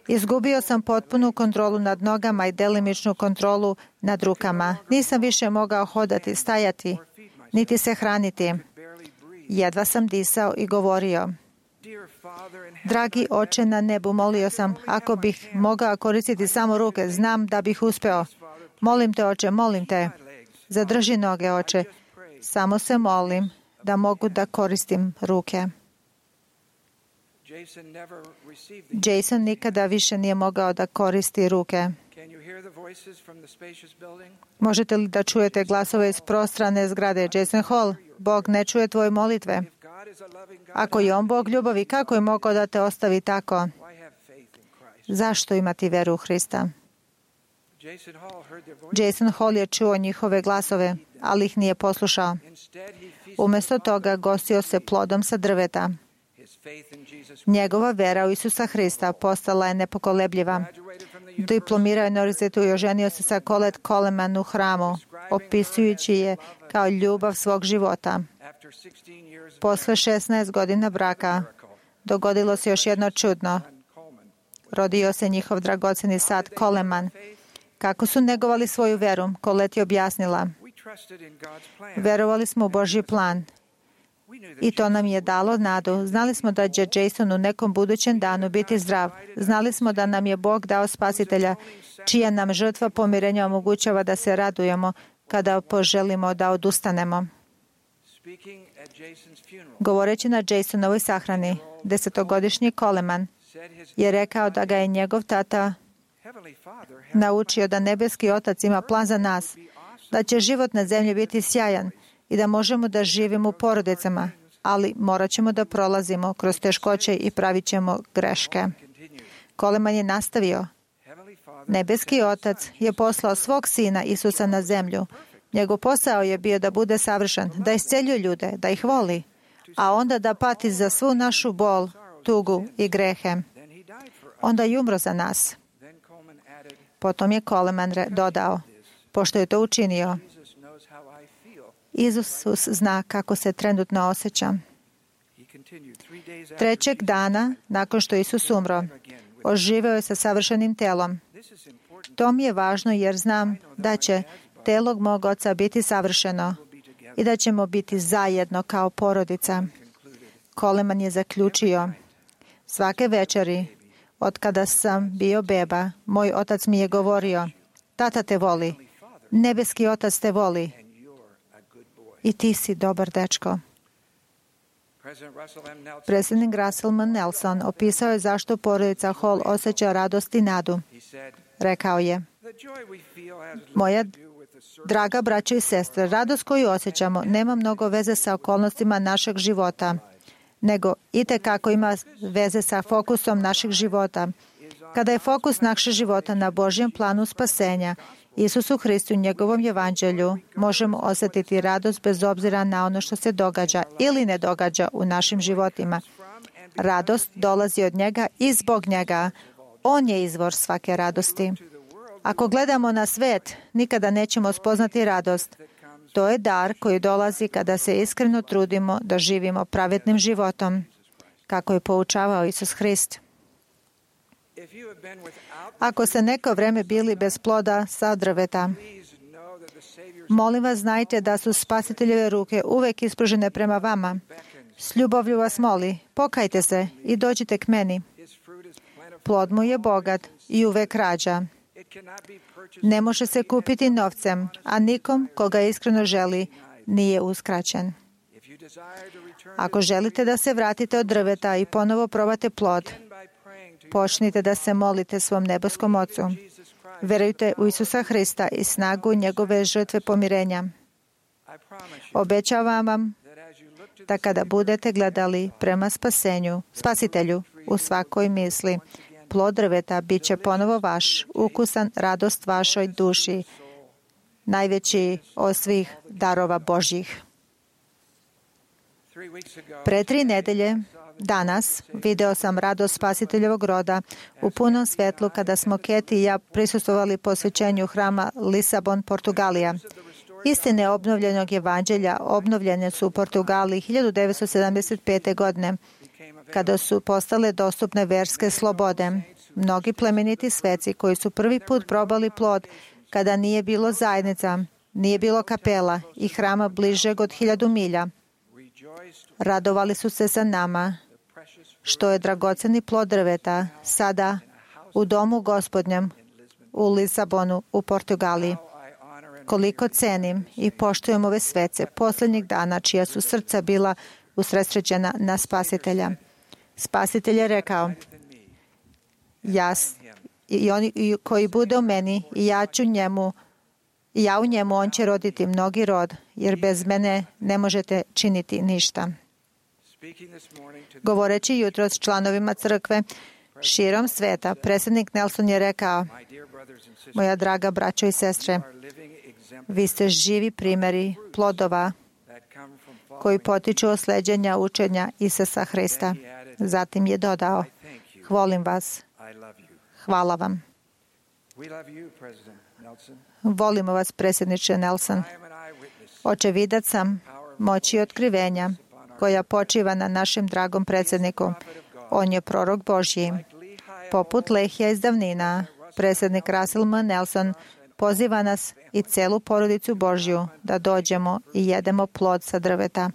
Izgubio sam potpunu kontrolu nad nogama i delimičnu kontrolu nad rukama. Nisam više mogao hodati, stajati, niti se hraniti. Jedva sam disao i govorio. Dragi Oče na nebu, molio sam, ako bih mogao koristiti samo ruke, znam da bih uspeo. Molim te, Oče, molim te. Zadrži noge, Oče. Samo se molim da mogu da koristim ruke. Jason nikada više nije mogao da koristi ruke. Možete li da čujete glasove iz prostrane zgrade? Jason Hall, Bog ne čuje tvoje molitve. Ako je on Bog ljubavi, kako je mogao da te ostavi tako? Zašto imati veru u Hrista? Jason Hall je čuo njihove glasove, ali ih nije poslušao. Umjesto toga gostio se plodom sa drveta. Njegova vera u Isusa Hrista postala je nepokolebljiva. Diplomirao je na univerzitetu i oženio se sa Colette Coleman u hramu, opisujući je kao ljubav svog života. Posle 16 godina braka dogodilo se još jedno čudno. Rodio se njihov dragoceni sad Coleman. Kako su negovali svoju veru, Colette je objasnila. Verovali smo u Božji plan. I to nam je dalo nadu. Znali smo da će Jason u nekom budućem danu biti zdrav. Znali smo da nam je Bog dao Spasitelja, čija nam žrtva pomirenja omogućava da se radujemo kada poželimo da odustanemo. Govoreći na Jasonovoj sahrani, 10-godišnji Coleman je rekao da ga je njegov tata naučio da nebeski Otac ima plan za nas, da će život na zemlji biti sjajan i da možemo da živimo u porodicama, ali morat ćemo da prolazimo kroz teškoće i pravit ćemo greške. Coleman je nastavio. Nebeski Otac je poslao svog sina Isusa na zemlju. Njegov posao je bio da bude savršen, da isceljuje ljude, da ih voli, a onda da pati za svu našu bol, tugu i grehe. Onda je umro za nas. Potom je Coleman dodao, pošto je to učinio, Isus zna kako se trenutno osjeća. 3. dana, nakon što Isus umro, oživeo je sa savršenim telom. To mi je važno jer znam da će telo mog oca biti savršeno i da ćemo biti zajedno kao porodica. Coleman je zaključio, svake večeri, od kada sam bio beba, moj otac mi je govorio, tata te voli, nebeski Otac te voli i ti si dobar dečko. Predsjednik Russell M. Nelson opisao je zašto porodica Hall osjeća radost i nadu. Rekao je, moja draga braćo i sestre, radost koju osjećamo nema mnogo veze sa okolnostima našeg života, nego itekako ima veze sa fokusom našeg života. Kada je fokus našeg života na Božjem planu spasenja, Isusu Hristu i njegovom evanđelju, možemo osjetiti radost bez obzira na ono što se događa ili ne događa u našim životima. Radost dolazi od njega i zbog njega. On je izvor svake radosti. Ako gledamo na svet, nikada nećemo spoznati radost. To je dar koji dolazi kada se iskreno trudimo da živimo pravednim životom. kako je poučavao Isus Hrist. Ako ste neko vreme bili bez ploda sa drveta, molim vas, znajte da su Spasiteljeve ruke uvek ispružene prema vama. S ljubavlju vas moli, pokajte se i dođite k meni. Plod mu je bogat i uvek rađa. Ne može se kupiti novcem, a nikom koga iskreno želi nije uskraćen. Ako želite da se vratite od drveta i ponovo probate plod, počnite da se molite svom nebeskom Ocu. Verujte u Isusa Hrista i snagu njegove žrtve pomirenja. Obećavam vam da kada budete gledali prema Spasitelju u svakoj misli, plod drveta bit će ponovo vaš, ukusan radost vašoj duši, najveći od svih darova Božjih. Pre 3 nedelje, danas, video sam radost Spasiteljevog roda u punom svetlu kada smo Keti i ja prisustvovali posvećenju hrama Lisabon, Portugalija. Istine obnovljenog evanđelja obnovljene su u Portugaliji 1975. godine, kada su postale dostupne verske slobode. Mnogi plemeniti sveci koji su prvi put probali plod kada nije bilo zajednica, nije bilo kapela i hrama bližeg od 1000 milja, radovali su se sa nama, što je dragoceni plod drveta sada u domu Gospodnjem u Lisabonu u Portugaliji. Koliko cenim i poštujem ove svece posljednjih dana čija su srca bila usredsređena na Spasitelja. Spasitelj je rekao, i oni koji bude u meni i ja u njemu, on će roditi mnogi rod, jer bez mene ne možete činiti ništa. Govoreći jutros članovima crkve širom sveta, predsjednik Nelson je rekao, moja draga braćo i sestre, vi ste živi primjeri plodova koji potiču od sleđenja učenja Isusa Hrista. Zatim je dodao, volim vas, hvala vam. Volimo vas, predsjedniče Nelson. Očevidac sam moći otkrivenja koja počiva na našem dragom predsjedniku. On je prorok Božji. Poput Lehija iz davnina, predsjednik Russell M. Nelson poziva nas i celu porodicu Božju da dođemo i jedemo plod sa drveta.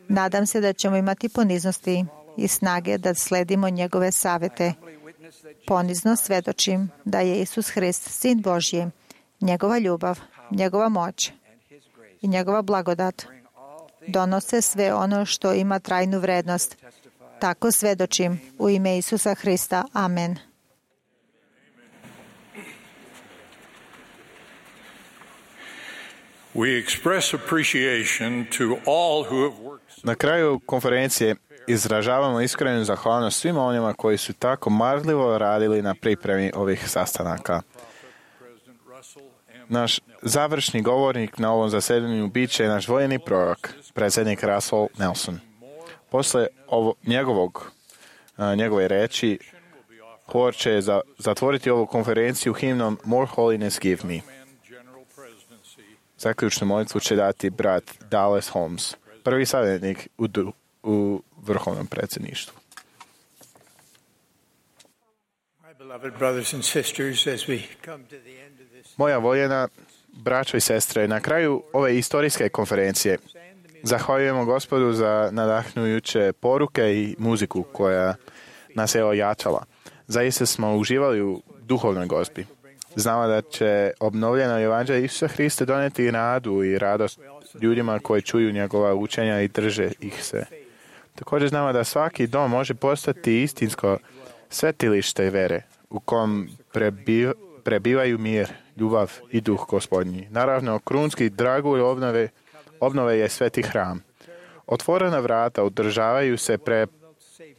Nadam se da ćemo imati poniznosti i snage da sledimo njegove savete. Ponizno svedočim da je Isus Hrist, Sin Božji, njegova ljubav, njegova moć i njegova blagodat donose sve ono što ima trajnu vrednost. Tako svedočim u ime Isusa Hrista. Amen. Na kraju konferencije izražavamo iskrenu zahvalnost svima onima koji su tako marljivo radili na pripremi ovih sastanaka. Naš završni govornik na ovom zasedanju bit će naš vojni prorok, predsjednik Russell Nelson. Posle njegove reči, hor će zatvoriti ovu konferenciju himnom More Holiness Give Me. Zaključnu molitvu će dati brat Dallas Holmes, prvi savjetnik u vrhovnom predsjedništvu. Moja voljena braćo i sestre, na kraju ove istorijske konferencije zahvaljujemo Gospodu za nadahnujuće poruke i muziku koja nas je ojačala. Zaista smo uživali u duhovnoj gozbi. Znamo da će obnovljeno evanđelje Isusa Hrista doneti nadu i radost ljudima koji čuju njegova učenja i drže ih se. Također znamo da svaki dom može postati istinsko svetilište vere u kom prebivaju mir, ljubav i duh Gospodnji. Naravno, krunski dragulj obnove je sveti hram. Otvorena vrata održavaju se pre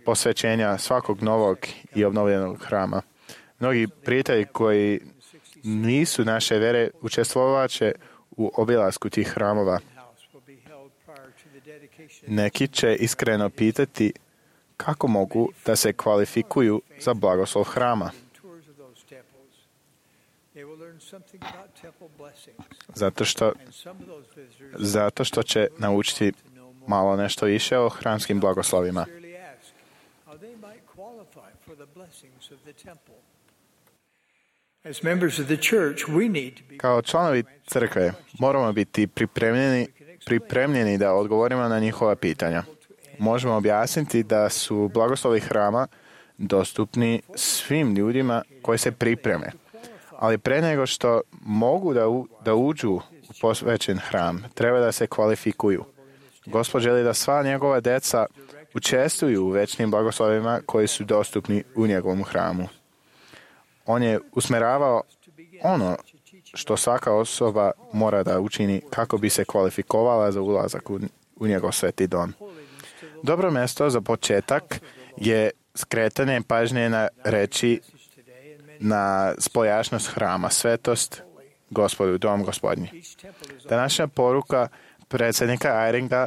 posvećenja svakog novog i obnovljenog hrama. Mnogi prijatelji koji nisu naše vere učestvovat će u obilasku tih hramova. Neki će iskreno pitati kako mogu da se kvalifikuju za blagoslov hrama. Zato što će naučiti malo nešto više o hramskim blagoslovima. Kao članovi crkve moramo biti pripremljeni da odgovorimo na njihova pitanja. Možemo objasniti da su blagoslovi hrama dostupni svim ljudima koji se pripreme. Ali pre nego što mogu da uđu u posvećen hram, treba da se kvalifikuju. Gospod želi da sva njegova deca učestvuju u večnim blagoslovima koji su dostupni u njegovom hramu. On je usmeravao ono što svaka osoba mora da učini kako bi se kvalifikovala za ulazak u njegov sveti dom. Dobro mjesto za početak je skretanje pažnje na reči na spojašnost hrama, svetost Gospodu, dom Gospodnji. Današnja poruka predsjednika Eyringa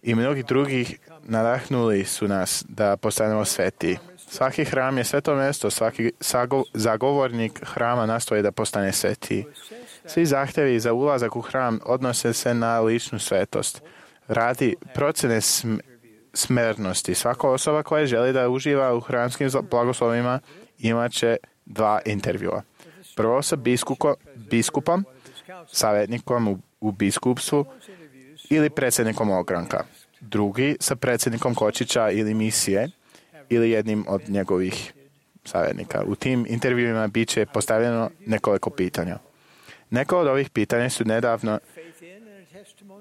i mnogih drugih nadahnuli su nas da postanemo sveti. Svaki hram je sveto mjesto, svaki zagovornik hrama nastoji da postane sveti. Svi zahtjevi za ulazak u hram odnose se na ličnu svetost. Radi procjene smernosti. Svaka osoba koja želi da uživa u hramskim blagoslovima imat će 2 intervjua. Prvo sa biskupom, savjetnikom u biskupstvu ili predsjednikom ogranka. Drugi sa predsjednikom kočića ili misije ili jednim od njegovih savjetnika. U tim intervjuima bit će postavljeno nekoliko pitanja. Neka od ovih pitanja su nedavno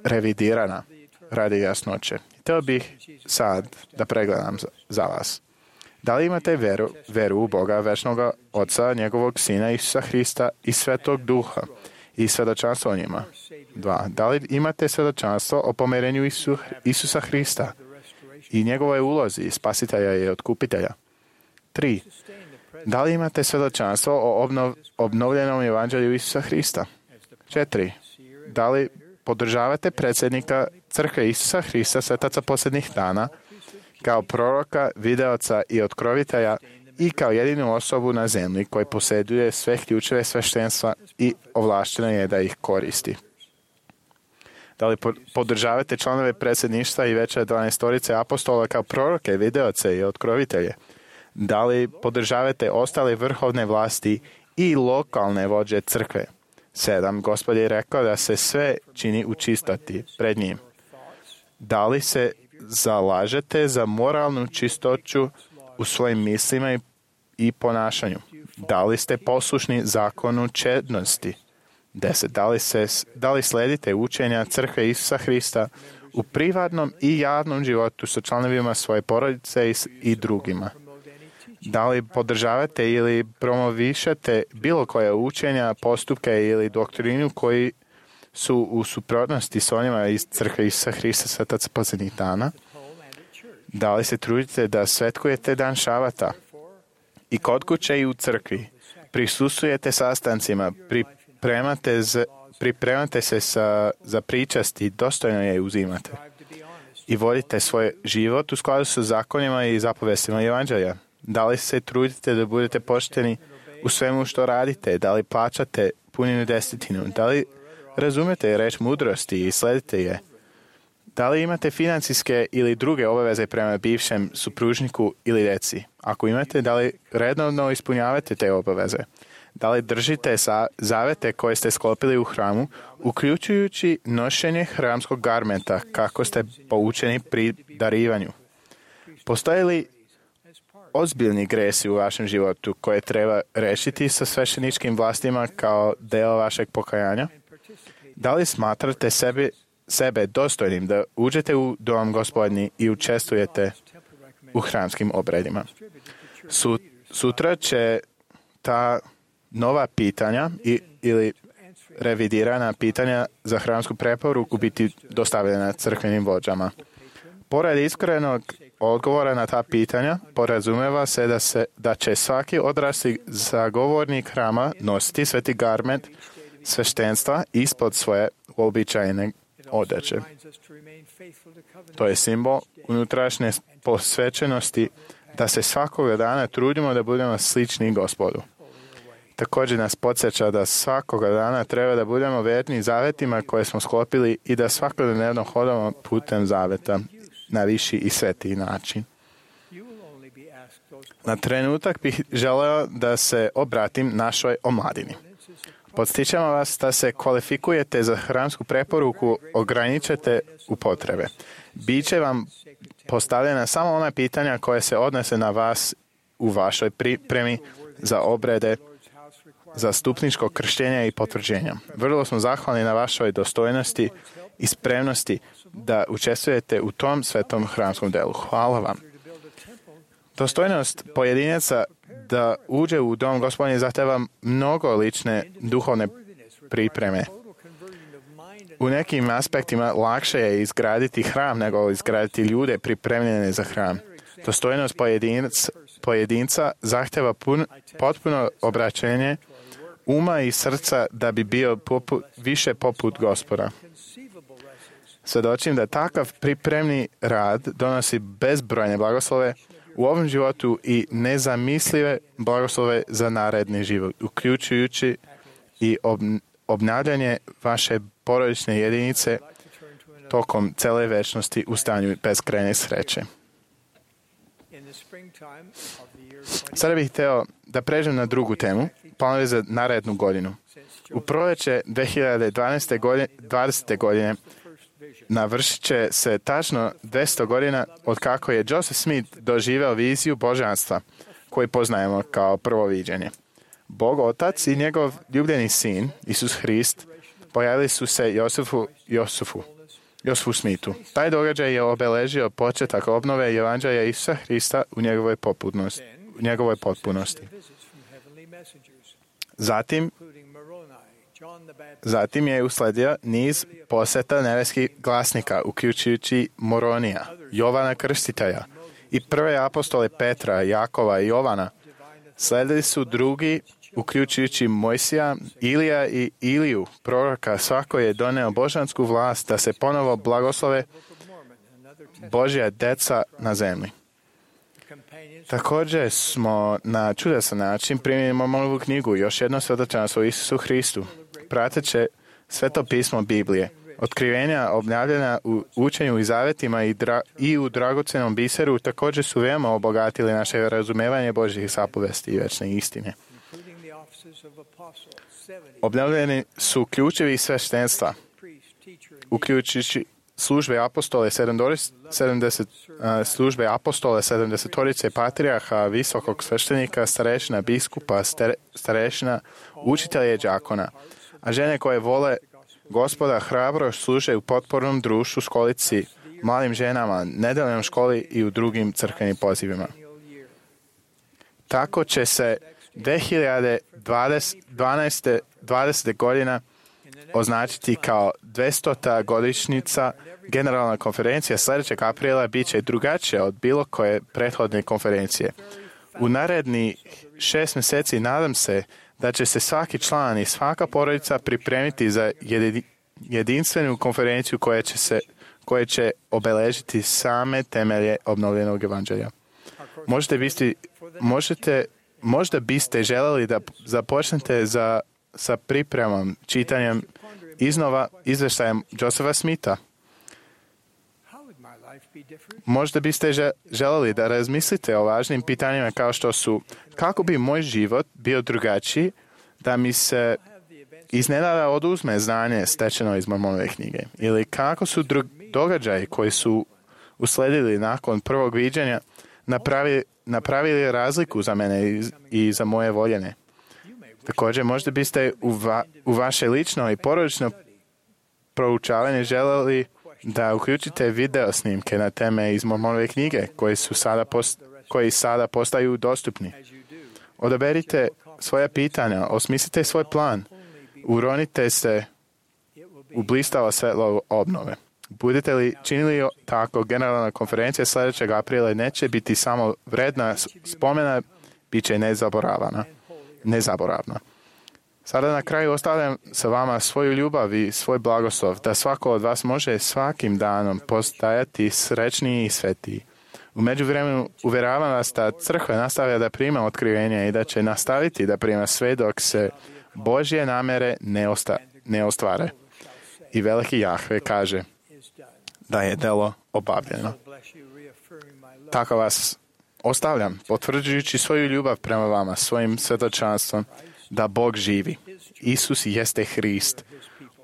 revidirana radi jasnoće. Htio bih sad da pregledam za vas. Da li imate veru u Boga, večnog Oca, njegovog Sina Isusa Hrista i Svetog Duha i svjedočanstvo o njima? 2. Da li imate svjedočanstvo o pomirenju Isusa Hrista i njegovoj ulozi spasitelja i otkupitelja? 3. Da li imate svjedočanstvo o obnovljenom evanđelju Isusa Hrista? 4. Da li podržavate predsjednika Crkve Isusa Hrista, svetaca posljednjih dana, kao proroka, videoca i otkrovitelja i kao jedinu osobu na zemlji koji posjeduje sve ključeve sveštenstva i ovlašteno je da ih koristi? Da li podržavate članove predsjedništva i veće 12 apostola kao proroke, videoce i otkrovitelje? Da li podržavate ostale vrhovne vlasti i lokalne vođe crkve? 7. Gospod je rekao da se sve čini u čistoti pred njim. Da li se zalažete za moralnu čistoću u svojim mislima i ponašanju? Da li ste poslušni zakonu čednosti? 10. Da li sledite učenja Crkve Isusa Hrista u privatnom i javnom životu sa članovima svoje porodice i drugima? Da li podržavate ili promovišete bilo koje učenja, postupke ili doktrinu koji su u suprotnosti s onima iz Crkve Isusa Hrista, svetaca posljednjih dana? Da li se trudite da svetkujete dan šabata i kod kuće i u crkvi? Prisustvujete sastancima, pripremate se za pričast i dostojno je uzimate. I vodite svoj život u skladu sa zakonima i zapovestima evanđelja. Da li se trudite da budete pošteni u svemu što radite? Da li plaćate puninu desetinu? Da li razumete reč mudrosti i sledite je? Da li imate financijske ili druge obaveze prema bivšem supružniku ili djeci? Ako imate, da li redovno ispunjavate te obaveze? Da li držite zavete koje ste sklopili u hramu, uključujući nošenje hramskog garmenta, kako ste poučeni pri darivanju? Postoje li ozbiljni gresi u vašem životu koje treba rešiti sa svešteničkim vlastima kao deo vašeg pokajanja? Da li smatrate sebe dostojnim da uđete u dom Gospodnji i učestvujete u hramskim obredima? Sutra će ta nova pitanja ili revidirana pitanja za hramsku preporuku biti dostavljena crkvenim vođama. Pored iskrenog odgovora na ta pitanja, porazumeva se da će svaki odrasli zagovornik hrama nositi sveti garment sveštenstva ispod svoje uobičajene odeće. To je simbol unutrašnje posvećenosti da se svakoga dana trudimo da budemo slični Gospodu. Također nas podsjeća da svakoga dana treba da budemo verni zavetima koje smo sklopili i da svakodnevno hodamo putem zaveta na viši i svetiji način. Na trenutak bih želeo da se obratim našoj omladini. Podstičemo vas da se kvalifikujete za hramsku preporuku, ograničite u potrebe. Biće vam postavljena samo ona pitanja koje se odnose na vas u vašoj pripremi za obrede, za stupničko krštenje i potvrđenja. Vrlo smo zahvalni na vašoj dostojnosti i spremnosti da učestvujete u tom svetom hramskom delu. Hvala vam. Dostojnost pojedinaca da uđe u dom Gospodnji zahteva mnogo lične duhovne pripreme. U nekim aspektima lakše je izgraditi hram nego izgraditi ljude pripremljene za hram. Dostojnost pojedinca zahteva potpuno obraćenje uma i srca da bi bio više poput Gospoda. Svedočim da takav pripremni rad donosi bezbrojne blagoslove u ovom životu i nezamislive blagoslove za naredni život, uključujući i obnavljanje vaše porodične jedinice tokom cele večnosti u stanju beskrajne sreće. Sada bih hteo da pređem na drugu temu, planovi za narednu godinu. U proljeće 2020. godine navršit će se tačno 200 godina od kako je Joseph Smith doživeo viziju božanstva, koju poznajemo kao prvo viđenje. Bog Otac i njegov ljubljeni sin, Isus Hrist, pojavili su se Josefu Smithu. Taj događaj je obeležio početak obnove Evanđelja Isusa Hrista u njegovoj potpunosti. Zatim je usledio niz poseta nebeskih glasnika, uključujući Moronija, Jovana Krstitelja i prve apostole Petra, Jakova i Jovana. Sledili su drugi, uključujući Mojsija, Ilija i Iliju, proroka. Svako je doneo božansku vlast da se ponovo blagoslove Božja deca na zemlji. Također smo na čudesan način primili Mormonovu knjigu, još jedno svedočanstvo o Isusu Hristu, prateće sveto pismo Biblije, otkrivenja obnavljena u učenju i zavetima i u dragocenom biseru također su veoma obogatili naše razumevanje Božjih zapovesti i večne istine. Obnavljeni su ključevi sveštenstva, uključujući službe apostole 70 patrijarha, visokog sveštenika, starešina, biskupa, starešina, učitelja i đakona, a žene koje vole Gospoda hrabro služe u potpornom društvu, školici, malim ženama, nedeljnoj školi i u drugim crkvenim pozivima. Tako će se 2020. godina označiti kao 200. godišnjica. Generalna konferencija sljedećeg aprila bit će drugačija od bilo koje prethodne konferencije. U naredni 6 mjeseci nadam se da će se svaki član i svaka porodica pripremiti za jedinstvenu konferenciju koja će obeležiti same temelje obnovljenog evanđelja. Možda biste želeli da započnete sa pripremom, čitanjem iznova izveštajem Josepha Smitha. Možda biste želeli da razmislite o važnim pitanjima kao što su kako bi moj život bio drugačiji da mi se iznenada oduzme znanje stečeno iz Mormonove knjige, ili kako su događaji koji su usledili nakon prvog viđenja napravili razliku za mene i za moje voljene. Također, možda biste u vaše lično i porodično proučavanje želeli da uključite video snimke na teme iz Mormonove knjige koji sada postaju dostupni. Odaberite svoja pitanja, osmislite svoj plan, uronite se u blistavo svetlo obnove. Budete li činili tako, generalna konferencija sljedećeg aprila neće biti samo vredna spomena, bit će nezaboravna. Sada na kraju ostavljam sa vama svoju ljubav i svoj blagoslov, da svako od vas može svakim danom postajati srećniji i svetiji. U međuvremenu uvjeravam vas da crkva nastavlja da prima otkrivenje i da će nastaviti da prima sve dok se Božje namere ne ostvare. I veliki Jahve kaže da je delo obavljeno. Tako vas ostavljam, potvrđujući svoju ljubav prema vama, svojim svjedočanstvom, da Bog živi. Isus jeste Hrist.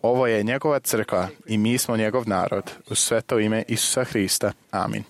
Ovo je njegova crkva i mi smo njegov narod. U sveto ime Isusa Hrista. Amin.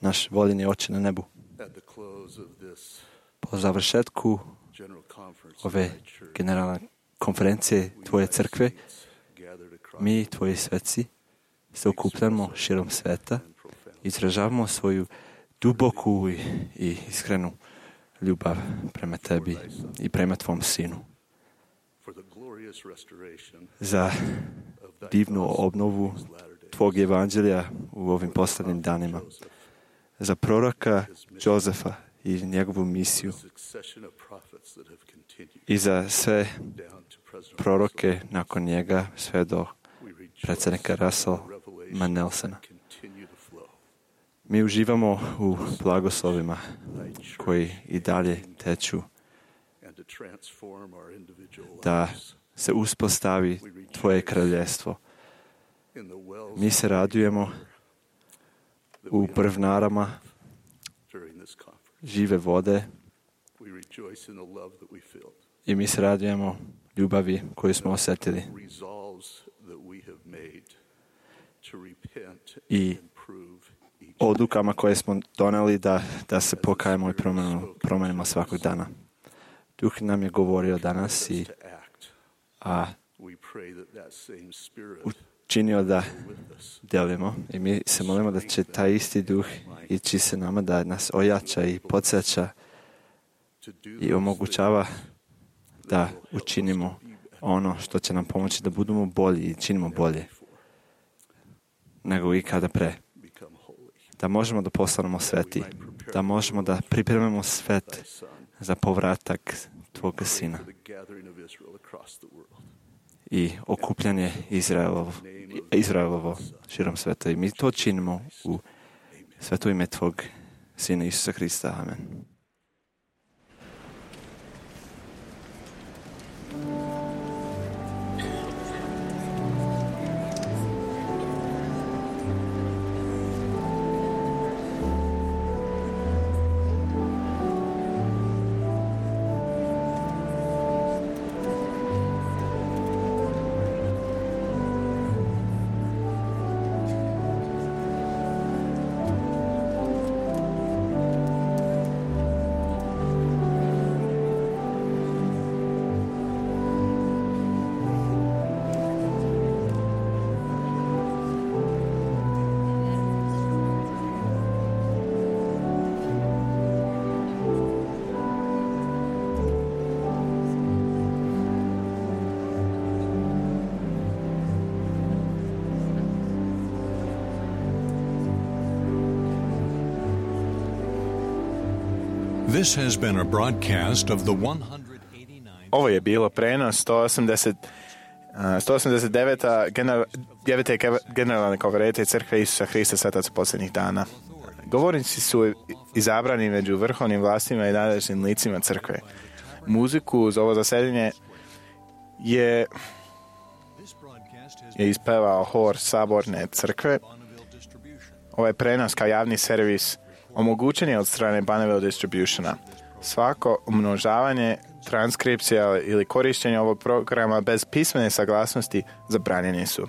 naš voljeni Oče na nebu. Po završetku ove generalne konferencije Tvoje crkve, mi, Tvoji sveci, se okupljamo širom sveta, izražavamo svoju duboku i iskrenu ljubav prema Tebi i prema Tvom Sinu. Za divnu obnovu Tvog evanđelja u ovim posljednjim danima. Za proroka Jozefa i njegovu misiju. I za sve proroke nakon njega, sve do predsjednika Russella Nelsona. Mi uživamo u blagoslovima koji i dalje teču da se uspostavi Tvoje kraljevstvo. Mi se radujemo u brvnarama žive vode i mi se radujemo ljubavi koju smo osjetili i odlukama koje smo doneli da se pokajemo i promenimo svakog dana. Duh nam je govorio danas a učinio da delimo i mi se molimo da će taj isti duh ići se nama, da nas ojača i podsjeća i omogućava da učinimo ono što će nam pomoći da budemo bolji i činimo bolje nego ikada pre. Da možemo da postanemo sveti, da možemo da pripremimo svet za povratak Tvoga Sina i okupljanje Izraelovo širom sveta. I mi to činimo u sveto ime Tvog Sina Isusa Hrista. Amen. This has been a broadcast of the 189th. Ovo je bilo prenos 189. generalne konferencije Crkve Isusa Hrista Svetaca posljednjih dana. Govornici su izabrani među vrhovnim vlastima i nadležnim licima Crkve. Muziku za ovo zasedanje je ispevao hor Saborne Crkve. Ovaj prenos kao javni servis omogućen je od strane Bonneville Distributiona. Svako umnožavanje, transkripcija ili korištenje ovog programa bez pismene saglasnosti zabranjeni su.